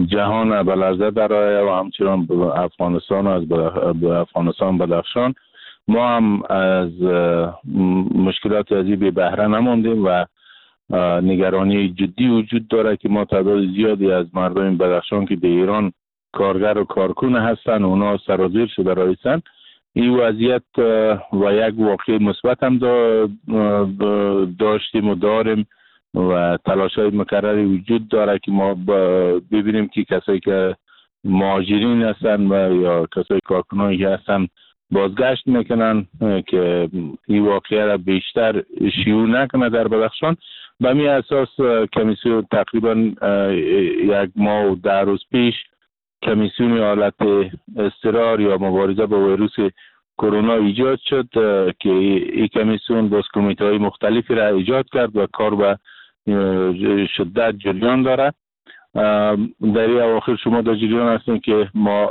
جهان به لرزه درآید و همچنان افغانستان و از افغانستان بدخشان، ما هم از مشکلات ازی بی بهره نماندیم و نگرانی جدی وجود داره که ما تعداد زیادی از مردم بدخشان که به ایران کارگر و کارکن هستن اونا سرازیر شده رایسن. این وضعیت و یک واقع مثبت هم داشتیم و داریم و تلاش های مکرری وجود داره که ما ببینیم که کسایی که مهاجرین هستن و یا کسایی کارکنانی که هستن بازگشت میکنن که این واقعه را بیشتر شیوع نکنه در بدخشان. به می اساس کمیسیون تقریبا یک ماه و ده روز پیش کمیسیون حالت اضطرار یا مبارزه با ویروس کرونا ایجاد شد که این کمیسیون باز کمیته های مختلفی را ایجاد کرد و کار به شدت جریان داره. در این اواخر شما در جریان هستین که ما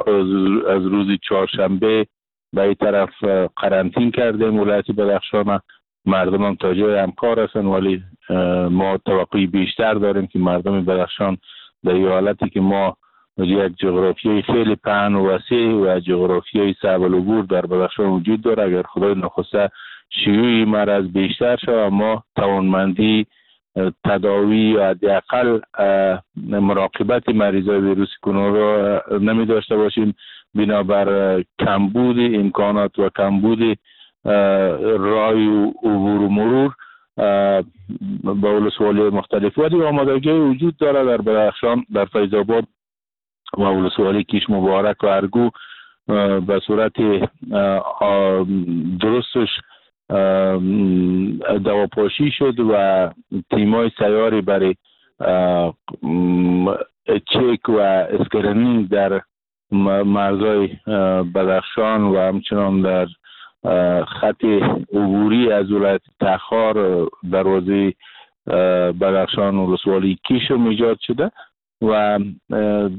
از روز چهارشنبه به این طرف قرنطین کردیم ولایت بدخشان. مردم هم تا جای همکار هستن، ولی ما توقعی بیشتر داریم که مردم بدخشان در این حالتی که ما یک جغرافیای خیلی پهن و وسیع و جغرافیای صعب العبور در بدخشان وجود داره، اگر خدای نخواسته شیوع مرض بیشتر شود ما توانمندی تداوی یا حداقل مراقبت مریضای ویروس کرونا را نمی داشته باشیم، بنابر کمبود امکانات و کمبود رای و عبور و مرور با ولسوالی مختلف. ولی آمادگی وجود داره در بدخشان، در فیض آباد و ولسوالی کیش مبارک و ارگو به صورت درستش دواپاشی شد و تیمای سیاری برای چک و screening در مرزهای بدخشان و همچنان در خط عبوری از ولایت تخار دروازه بدخشان و ولسوالی کیش ایجاد شده و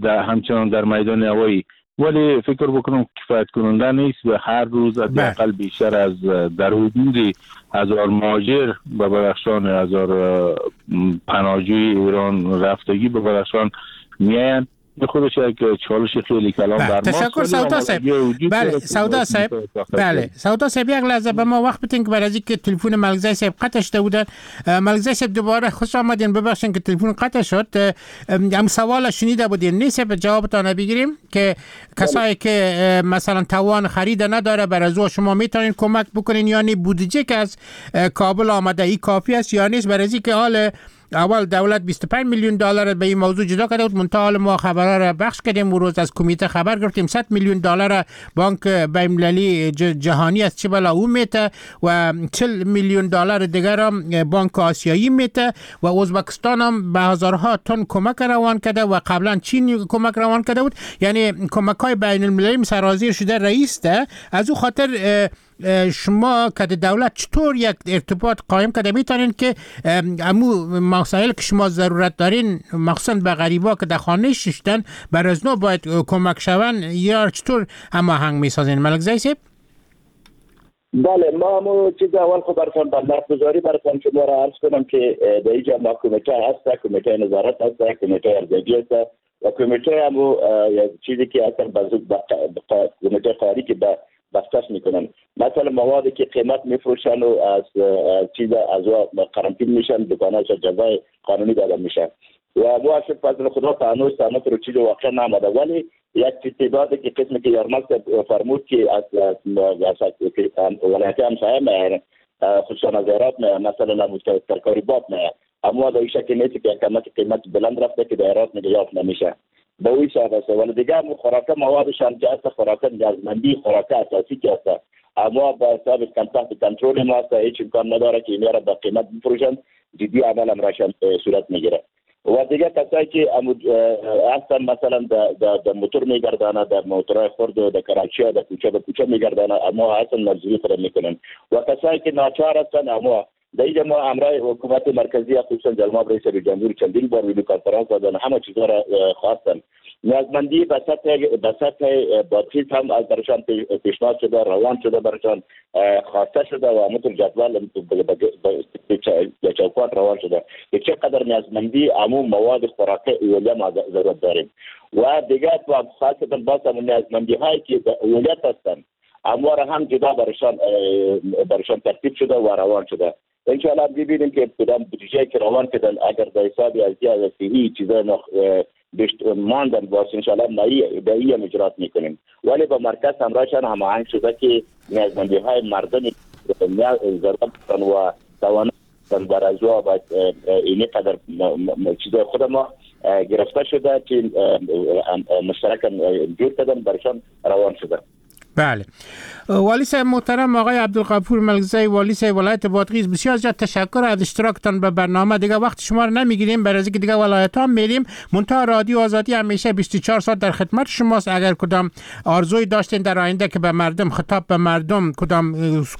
در همچنان در میدان هوایی. ولی فکر بکنم کفایت کننده نیست و هر روز حداقل بیشتر از در حدود هزار مهاجر به بدخشان، هزار پناهجوی ایران رفتگی به بدخشان میاین. خودش یک چالش خیلی کلام بر ما. تشکر سودا صاحب. بله سودا صاحب، بله سودا صاحب یک لحظه به ما وقت بدین که برای اینکه تلفن ملکزی صاحب قطع شده بودن. ملکزی صاحب دوباره خوش آمدین، ببخشید که تلفن قطع شد. هم سوال شنیده بودین نیست، به جوابتان بگیریم که کسایی که مثلا توان خرید نداره بر از او شما میتونین کمک بکنین یا نه؟ بودجه که از کابل آمده ای کافی است یا نیست؟ برای اینکه حال اول دولت بیست و پنج میلیون دلار به این موضوع جدا کرده بود، منتها حال ما خبرها را بخش کردیم و روز از کمیته خبر گرفتیم صد میلیون دلار بانک بین‌المللی جهانی از چه بلا او میته و چهل میلیون دلار دیگر هم بانک آسیایی میته و ازبکستان هم به هزارها تن کمک روان کرده و قبلا چین کمک روان کرده بود. یعنی کمک های بین المللی سرازیر شده رئیس ده. از او خاطر شما که دولت چطور یک ارتباط قایم کرده میتونین که امو مسائل که شما ضرورت دارین مخصوصا به غریبا که در خانه ششتن بر از نو باید کمک شون یا چطور هماهنگ میسازین ملک زی صاحب؟ بله ما همو چیز اول خب براتون بندرگذاری براتون شما را عرض کنم که در اینجا ما کمیته هست، کمیته نظارت هست، کمیته ارزیابی هست و کمیته همو چیزی که اصلا کمیته قاری که به بستش میکنن، مثلا موادی که قیمت میفروشن و از چیز از قرنطین میشن، دکان‌ها جزای قانونی داده میشن و ما فضل خدا تا هنوز تا رو چیز واقع نامده. ولی یک تعدادی که قسمی که یارمل فرمود که از ولایت همسایه میایند، خصوصا از هرات میایند، مثلا ترکاری باب میایند، اما در این شکل نیست که قیمت قیمت بلند رفته که در هرات میگه یافت نمیشه با اوی صاحب است. ولی دیگه خوراک موادش هم که هست، خوراک نیازمندی، خوراک اساسی که هست، اما با حساب تحت کنترل ما هست، هیچ امکان نداره که اینا را با قیمت بفروشن. جدی عمل هم راشن صورت میگیره. و دیگه کسایی که هستن مثلا در موتور میگردانه، در موتورهای خرد و در کراچی ها، در کوچه به کوچه میگردانه، اما هستن مزدوری خود میکنن. و کسایی که ناچار هستن، اما در اینجا ما همراه حکومت مرکزی خصوصا جناب رئیس جمهور چندین بار ویدیو کنفرانس دادن، همه چیزا را خواستن. نیازمندی به سطح به سطح بادخیز هم از برشان پیشنهاد شده، روان شده، برشان خواسته شده و همونطور جدول به چوکات روان شده که چقدر نیازمندی عموم مواد خوراکی اولیه ما ضرورت داریم. و دیگه خاصتا باز هم نیازمندی هایی که اولیت هستند اما را هم جدا برشان برشان ترتیب شده و روان شده. انشاءالله ببینیم که کدام بودجه که روان کردن اگر در حساب از از صحی چیزای بیشت ماندن باز انشاءالله ما به این اجرات میکنیم. ولی با مرکز همراهشان هماهنگ شده که نیازمندی های مردم ضرورت و توان بر از او باید اینی قدر چیزای خود ما گرفته شده که مشترکاً جور کردن برشان روان شده. بله. والی صاحب محترم آقای عبدالغفور ملکزی، والی صاحب ولایت بادغیس، بسیار زیاد تشکر از اشتراکتان به برنامه. دیگه وقت شما رو نمیگیریم، برای اینکه دیگه ولایت ها میریم. منتها رادیو آزادی همیشه بیست و چهار ساعت در خدمت شماست. اگر کدام آرزوی داشتین در آینده که به مردم خطاب به مردم کدام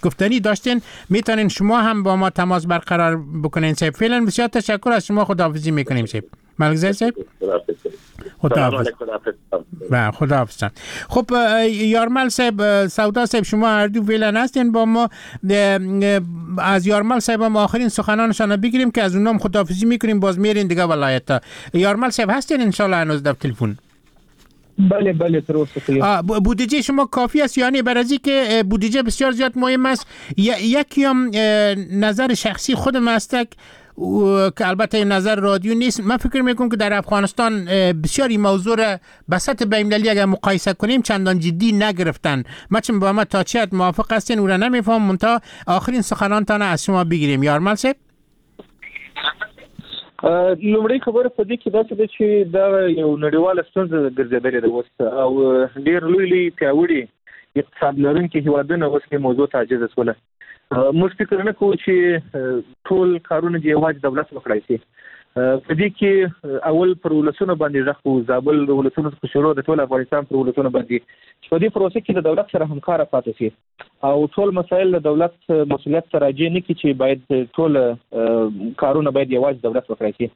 گفتنی داشتین، میتونین شما هم با ما تماس برقرار بکنین. صاحب فعلا بسیار تشکر از شما، خداحافظی میکنیم صاحب ملکزی صاحب. خداحافظ. و خداحافظ. خب یارمل صاحب، سودا صاحب، شما هر دو فعلا هستین با ما. از یارمل صاحب هم آخرین سخنانشان بگیریم که از اونام خداحافظی میکنیم، باز میرین دیگه ولایت ها. یارمل صاحب هستین انشالله هنوز در تلفن؟ بله بله تر اوسه. بودجه شما کافی است؟ یعنی برای که بودجه بسیار زیاد مهم است. یکی هم نظر شخصی خودم است که البته این نظر رادیو نیست، من فکر میکنم که در افغانستان بسیار این موضوع را به سطح بین‌المللی اگر مقایسه کنیم چندان جدی نگرفتن. ما چون با ما تا چه حد موافق هستین او را نمیفهم، منتها آخرین سخنانتان از شما بگیریم. یارمل صاحب. لومړی خبره په دې کې داسې ده چې دا یو نړیواله ستونزه ګرځېدلې ده اوس، او ډېر لوی لوی پیاوړي اقتصاد لرونکي هېوادونه اوس دې موضوع ته عاجز شول. موږ فکر نه کوو چې ټول کارونه دې یوازې دولت وکړای شي. په دې کې اول پر ولسونو باندې غږ کوو، زابل د ولسونو څخه شروع د ټول افغانستان پر ولسونو باندې، چې په دې پروسه کې د دولت سره همکاره پاتې شي او ټول مسایل د دولت مسؤلیت ته راجع نه کړي چې باید ټول کارونه باید یوازې دولت وکړای شي.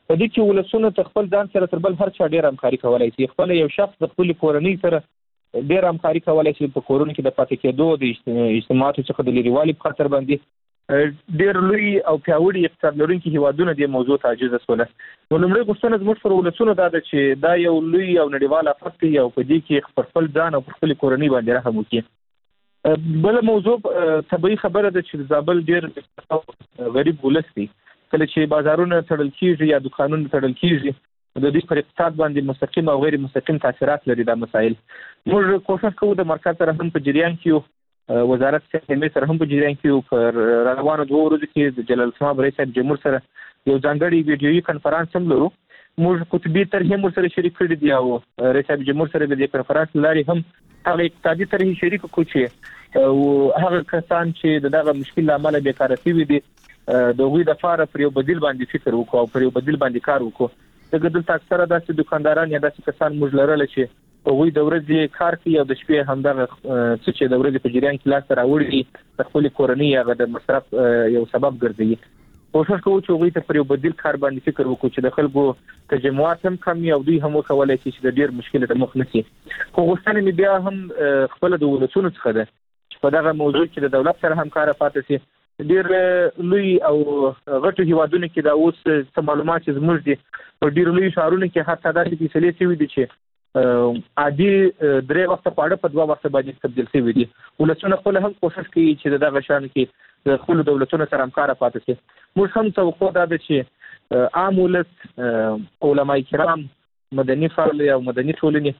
په دې کې ولسونه ته خپل ځان سره تر بل هر چا ډېر همکاري کولای شي. خپل یو شخص د خپلې کورنۍ سره ډېر همکاري کولای شي، په کورونو کې د پاتې کېدو، د اجتماعاتو څخه د لیرېوالي په خاطر باندې ډېر لوی او پیاوړي اقتصاد لرونکي هېوادونه دې موضوع ته عاجز شول. نو لومړۍ غوښتنه زموږ پر ولسونو دا ده چې دا یو لوی او نړیوال آفت دی او په دې کې پر خپل ځان او پر خپلې کورنۍ باندې رحم وکړي. بله موضوع طبیعي خبره ده چې زابل ډېر غریب ولس دی. کله چې بازارونه تړل کېږي یا دوکانونه تړل کېږي، د دوی پر اقتصاد باندې مستقیم او غیر مستقیم تاثیرات لري دا مسایل. موږ کوښښ کوو د مرکز سره هم په جریان کې یو، وزارت صحت سره هم په جریان کې یو. پر روانو دوو ورځو کې د جلالتمآب رئیس صاحب جمهور سره یو ځانګړی ویډیويي کنفرانس هم لرو. موږ قطبي طرحې هم ورسره شریک کړي دي او رئیس صاحب جمهور سره د دې کنفرانس له لارې هم هغه اقتصادي طرحې شریک کړو چې هغه کسان چې د دغه مشکل له امله بېکاره شوي دي د هغوی دپاره پر یو بدیل باندې فکر وکړو او پر یو بدیل باندې کار وکړو. ځکه دلته اکثره داسې دوکانداران یا داسې کسان موږ لرله چې هغوی د ورځې کار کوي او د شپې همدغه څه چې د ورځې په جریان کې لاسته راوړي دي د خپلې کورنۍ هغه د مصرف یو سبب ګرځوي. کوښښ کوو چې هغوی ته پر یو بدیل کار باندې فکر وکړو چې د خلکو تجمعات هم کم وي او دوی هم وکولای شي چې د ډېر مشکل ته مخ نه شي. خو غوښتنه مې بیا هم خپله د ولسونو څخه ده چې په دغه موضوع کې د دولت سره همکاره پاتې شي. ډېر لوی او غټو هیوادونو کې دا اوس څه معلومات چې زموږ دي، په ډېرو لویو ښارونو کې حتی داسې فیصلې شوي دي چې عادي درې وخته خواړه په دوه وخته باندې تبدیل شوي دي. ولسونه خپله هم کوښښ کوي چې د دغه شان کې د خپلو دولتونو سره همکاره پاتې شي. موږ هم توقع دا ده چې عام ولس، علمای کرام، مدني فعال او مدني ټولنې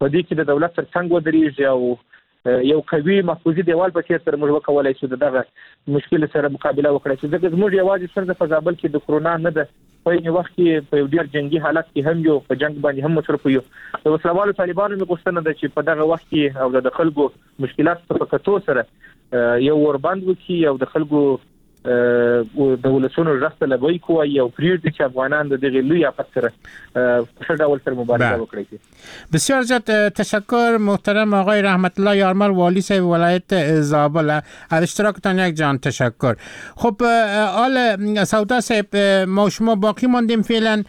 په دې کې د دولت تر څنګ ودرېږي او یو قوي محفوظي دیوال په څېر سره موږ وکولای شو د دغه مشکل سره مقابله وکړای شو. ځکه زموږ یوازې ستونزه په زابل کې د کرونا نه ده، په عین وخت کې په یو ډېر جنګي حالت کې هم یو، په جنګ باندې هم مصروف یو. د وسلهوالو طالبانو مې غوښتنه ده چې په دغه وخت کې او د خلکو مشکلاتو ته په کتو سره یو اوربند وکړي او د خلکو د ولسونو غږ ته لبیک ووایي او پرېږدي چې افغانان د دغې لوی آفت سره په ښه ډول سره مبارزه وکړي. بسیار زیاد تشکر محترم آقای رحمت الله یارمل، والی صاحب ولایت زابل، از اشتراکتان یک جان تشکر. خب آل سودا صاحب، ما شما باقی ماندیم فعلا.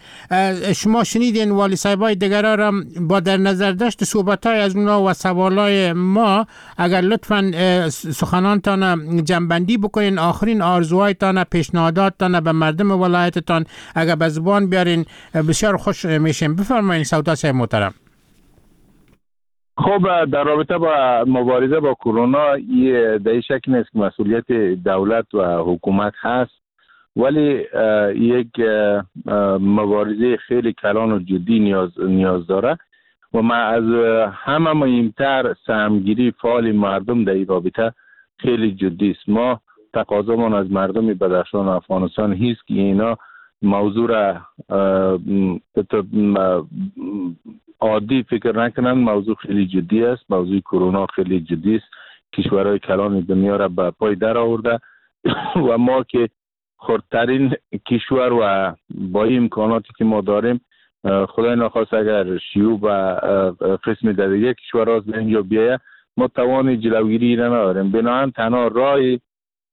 شما شنیدین والی صاحبای دیگرا را با در نظر داشت صحبت‌های از اونا و سوالای ما، اگر لطفاً سخنانتان جمع‌بندی بکنین، آخرین آرزوهایتان، پیشنهاداتتان به مردم ولایتتان اگر به زبان بیارین بسیار خوش میشیم. بفرمایید سودا صاحب محترم. خب در رابطه با مبارزه با کرونا در این شک نیست که مسئولیت دولت و حکومت هست، ولی یک مبارزه خیلی کلان و جدی نیاز نیاز داره و ما از همه مهمتر سهمگیری فعال مردم در این رابطه خیلی جدی است. ما تقاضامان از مردم بدخشان و افغانستان هیست که اینا موضوع را عادی فکر نکنن. موضوع خیلی جدی است، موضوع کرونا خیلی جدی است، کشورهای کلان دنیا را به پای در آورده و ما که خردترین کشور و با این امکاناتی که ما داریم، خدای نخواست اگر شیوع و قسم در دیگه کشورها از اینجا بیایه، ما توان جلوگیری را نداریم. بنابراین تنها راه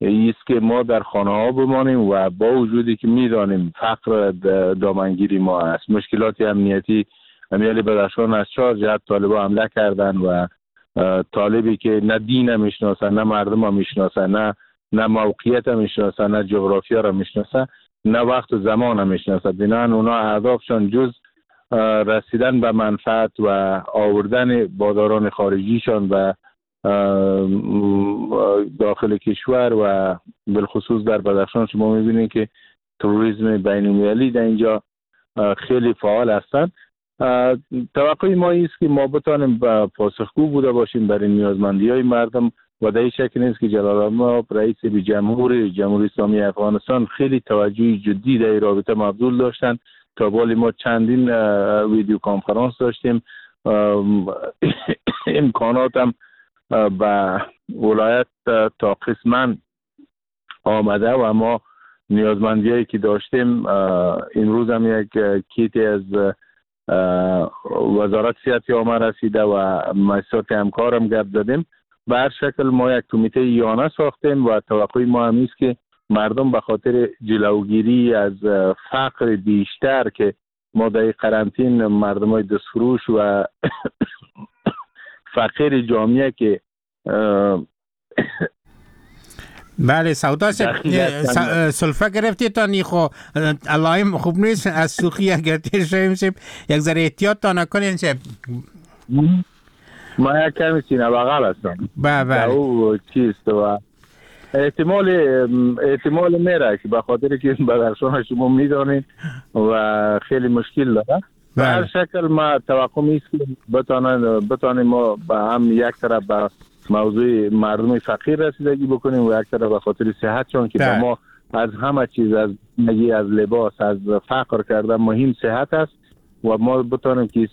است که ما در خانه ها بمانیم و با وجودی که میدانیم فقر دامنگیری ما است، مشکلات امنیتی امیال بدخشان از چهار جهت طالبا حمله کردن و طالبی که نه دین میشناسن، نه مردم میشناسن، نه نه موقعیت میشناسن، نه جغرافیا را میشناسن، نه وقت و زمان میشناسن. بنابراین اونا اهدافشان جز رسیدن به منفعت و آوردن باداران خارجیشان و داخل کشور و بالخصوص در بدخشان شما میبینید که تروریسم بین المللی در اینجا خیلی فعال هستند. توقع ما است که ما بتانیم پاسخگو بوده باشیم برای نیازمندی های مردم و در این شک نیست که جلال رئیس جمهور جمهوری اسلامی افغانستان خیلی توجه جدی در این رابطه مبذول داشتند. تا بالی ما چندین ویدیو کنفرانس داشتیم، امکانات هم به ولایت تا قسما آمده و ما نیازمندیایی که داشتیم امروز هم یک کیتی از وزارت صحت عامه رسیده و مؤسسات همکارم گپ زدیم. به هر شکل ما یک کمیته یانه ساختیم و توقع ما هم است که مردم به خاطر جلوگیری از فقر بیشتر که ما در قرنطین مردم های دستفروش و فقیر جامعه که بله سودا سلفه گرفتی تا نیخو علایم خوب نیست از سوخی اگر تیر شویم سیب یک ذره احتیاط تا نکنین سیب. ما یک کمی سینه بغل هستم. بله بله او چیست و احتمال احتمال میره که به خاطر که بدخشان شما میدانید و خیلی مشکل داره. به هر شکل ما توقع میست که بتانن بتانیم ما به هم یک طرف به موضوع مردم فقیر رسیدگی بکنیم و یک طرف به خاطر صحتشان که به ما از همه چیز، از زندگی، از لباس، از فقر کردن مهم صحت است و ما بتانیم که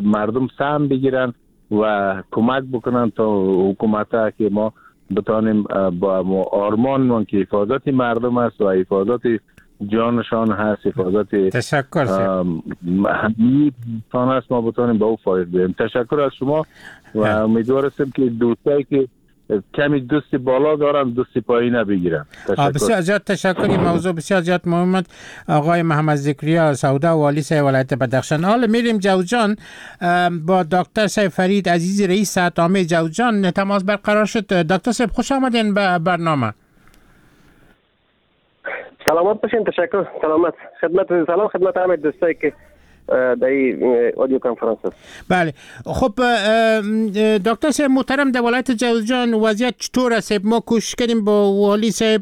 مردم سهم بگیرن و کمک بکنن تا حکومت که ما بتانیم با آرمان من که حفاظت مردم است و حفاظت جانشان هست، حفاظت تشکر همه است، ما بتانیم با او فایده بگیریم. تشکر از شما و امیدوار هستم که دوستایی که کمی دوستی بالا دارم دوستی پایین بگیرم. بسیار زیاد تشکر. این موضوع بسیار زیاد مهم است. آقای محمد ذکریا سودا والی سه ولایت بدخشان. حالا میریم جوزجان با دکتر سید فرید عزیزی رئیس صحت عامه جوزجان تماس برقرار شد. دکتر صاحب خوش آمدین به برنامه. سلامت باشین. تشکر. سلامت خدمت سلام خدمت همه دوستایی که در این audio کنفرانس است. بله خب دکتر صاحب محترم در ولایت جوزجان وضعیت چطور است؟ ما کوشش کردیم با والی صاحب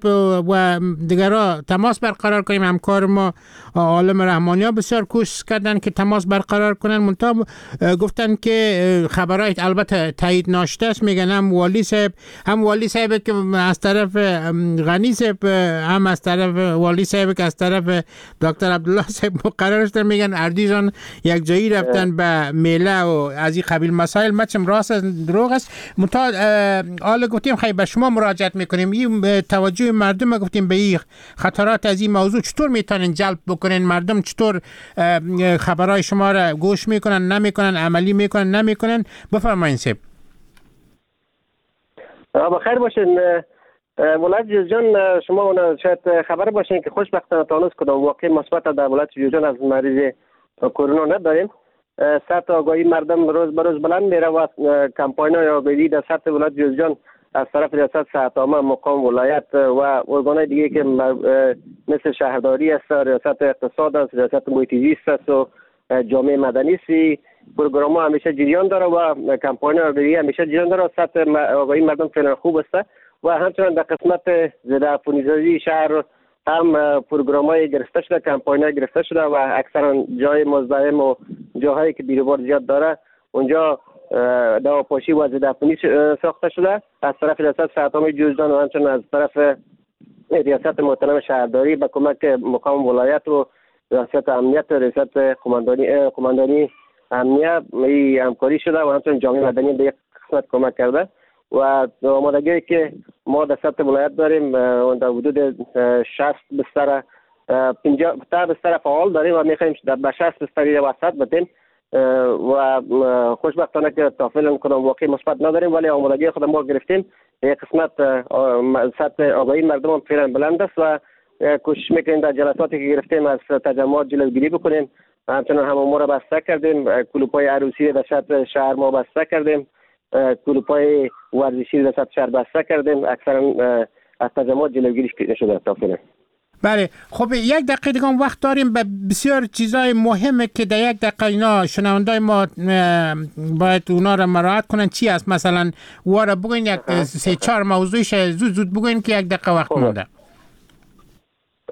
و دیگرها تماس برقرار کنیم، همکار ما عالم رحمانی ها بسیار کوشش کردن که تماس برقرار کنن، منتها گفتن که خبرهای البته تایید ناشته است. میگن هم والی صاحب هم والی صاحب که از طرف غنی صاحب هم از طرف والی صاحب که از طرف دکتر عبدالله صاحب مقرر شده، میگن اردی یک جایی رفتن به میله و از این قبیل مسائل. مچم راست دروغ است. منتها حالا گفتیم خیلی به شما مراجعت میکنیم، این توجه مردم گفتیم به این خطرات از این موضوع چطور میتونن جلب بکنن، مردم چطور خبرهای شما را گوش میکنن نمیکنن، عملی میکنن نمیکنن؟ بفرمایید صاحب. بخیر باشین. ولایت جوزجان شما شاید خبر باشین که خوشبختانه تا هنوز کدام واقع مثبت در ولایت جوزجان از مریض کرونا نداریم. سطح آگاهی مردم روز به روز بلند میره و کمپاین های آگاهی در سطح ولایت جوزجان از طرف ریاست صحت عامه مقام ولایت و ارگان‌های دیگه که مثل شهرداری است، ریاست اقتصاد است، ریاست محیط زیست است و جامعه مدنی است، پروگرام ها همیشه جریان داره و کمپاین آگاهی همیشه جریان داره. سطح آگاهی مردم فعلا خوب است و همچنین در قسمت ضد عفونی‌سازی شهر هم پروگرام های گرفته شده، کمپاین های گرفته شده و اکثرا جای مزدحم و جاهایی که بیروبار زیاد داره اونجا دواپاشی و ضد عفونی ساخته شده از طرف ریاست صحت عامه جوزجان و همچنین از طرف ریاست محترم شهرداری به کمک مقام ولایت و ریاست امنیت و ریاست قماندانی قماندانی امنیه همکاری شده و همچنین جامعه مدنی به یک قسمت کمک کرده و آمادگی که ما در سطح ولایت داریم در حدود شصت بستر پنجاه تا بستر فعال داریم و میخوایم به شصت بستر وسط بدیم و خوشبختانه که تا فعلا کدام واقع مثبت نداریم، ولی آمادگی خود ما گرفتیم. یک قسمت سطح آگاهی مردم هم فعلا بلند است و کوشش میکنیم در جلساتی که گرفتیم از تجمعات جلوگیری بکنیم. همچنان هم ما را بسته کردیم، کلوپ‌های عروسی در سطح شهر ما بسته کردیم، کلوپ‌های ورزشی در سطح شهر بسته کردیم، اکثرا از تجمعات جلوگیری شده تا فعلا. بله، خب یک دقیقه دیگه وقت داریم به بسیار چیزای مهمه که در یک دقیقه اینا شنوندای ما باید اونا را مراعات کنن. چی است مثلا؟ وارا بگوین یک سه چهار موضوعش زود زود بگوین که یک دقیقه وقت مونده.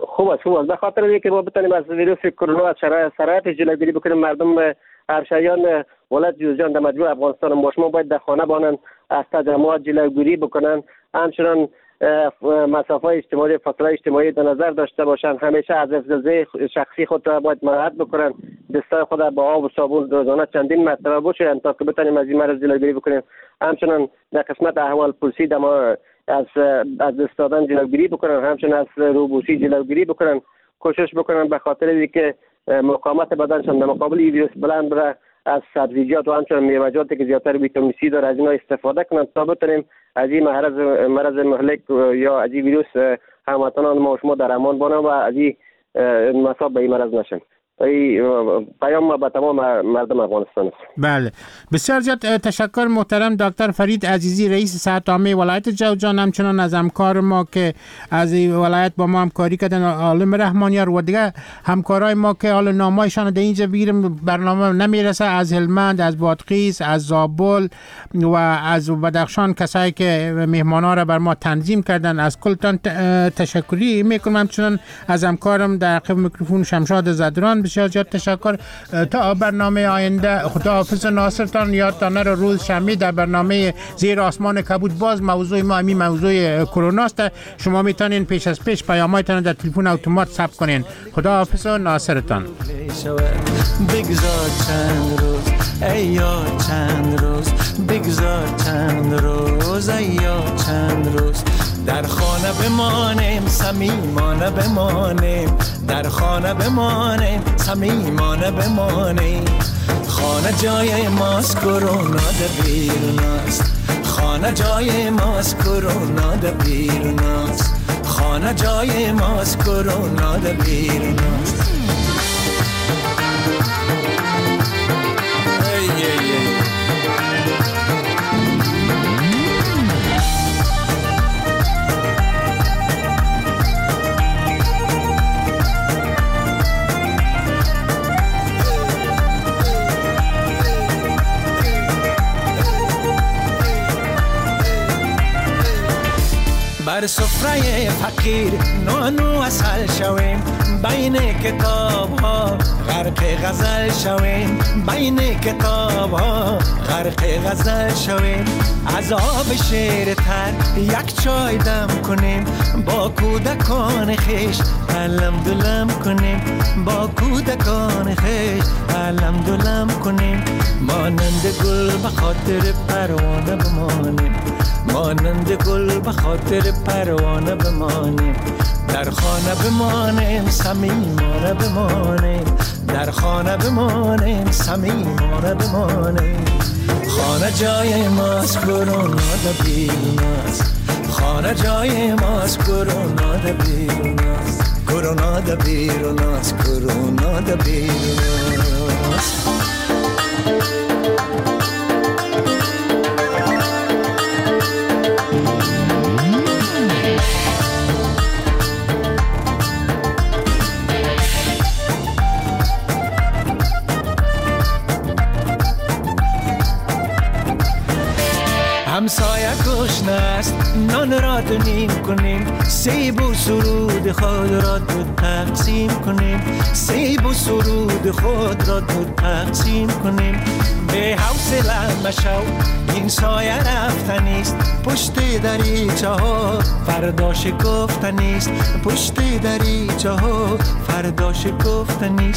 خوب است، خوب است. به خاطر اینکه ما بتونیم از ویروس کرونا از شرایط جلوگیری بکنیم، مردم همشهریان ولایت جوزجان در مجموع افغانستان ما شما باید در خانه بانن، از تجمعات جلوگیری بکنن، همچنان مسافه اجتماعی، فاصله اجتماعی در نظر داشته باشند، همیشه از حفظ شخصی خود را باید مراعات بکنن، دستای خود را با آب و صابون روزانه چندین مرتبه بشویند تا که بتونیم از این مرض جلوگیری بکنیم. همچنان در قسمت احوال پرسی دما از از دست دادن جلوگیری بکنن، همچنان از روبوسی جلوگیری بکنن، کوشش بکنن به خاطر اینکه مقاومت بدنشان در مقابل این ویروس بلند بره، از سبزیجات و همچنین میوه‌جاتی که زیادتر ویتامین سی داره از اینا استفاده کنند تا بتونیم از این مرض مرض مهلک یا از این ویروس هموطنان ما و شما در امان بانند و از این مصاب به این مرض نشن. پیام ما به تمام مردم افغانستان است. بله، بسیار زیاد تشکر محترم دکتر فرید عزیزی، رئیس صحت عامه ولایت جوزجان، همچنان از همکار ما که از ولایت با ما همکاری کردن عالم رحمانیار و دیگه همکارای ما که حالا نامایشان در اینجا بگیریم برنامه نمیرسه، از هلمند، از بادغیس، از زابل و از بدخشان، کسایی که مهمانا را بر ما تنظیم کردن، از کلتان تشکری میکنم. همچنان از همکارم در عقب میکروفون شمشاد زدران بسیار زیاد تشکر. تا برنامه آینده خداحافظ ناصرتان. یادتان نره روز شنبه در برنامه زیر آسمان کبود باز موضوع ما همین موضوع کرونا است. شما میتونین پیش از پیش پیام‌هایتان در تلفن اتومات ثبت کنین. خداحافظ ناصرتان. بگذار چند روز ای یار چند روز، بگذار چند روز ای یار چند روز، در خانه بمانیم صمیمانه بمانیم، در خانه بمانیم صمیمانه بمانیم. خانه جای ماست کرونا در بیرون است، خانه جای ماست کرونا در بیرون است، خانه جای ماست کرونا در بیرون است. ای ای ای بر سفره فقیر نان و عسل شویم، بین کتاب ها غرق غزل شویم، بین کتاب ها غرق غزل شویم. از آب شیر تر یک چای دم کنیم، با کودکان خویش علم دلم کنیم، با کودکان خویش علم دلم کنیم. مانند گل به خاطر پروانه بمانیم، مانند گل به خاطر پروانه بمانیم. در خانه بمانیم صمیمانه بمانیم، در خانه بمانیم صمیمانه بمانیم. خانه جای ماست کرونا در بیرون است، خانه جای ماست کرونا در بیرون است، کرونا در بیرون است، کرونا در بیرون است. همسایه گشنه است نان را دو نیم کنیم، سیب و سرود خود را دو تقسیم کنیم، سیب و سرود خود را دو تقسیم کنیم. به حوصله مشو این سایه رفتنیست، پشت دریچه ها فردا شکفتنیست، پشت دریچه ها فردا شکفتنیست.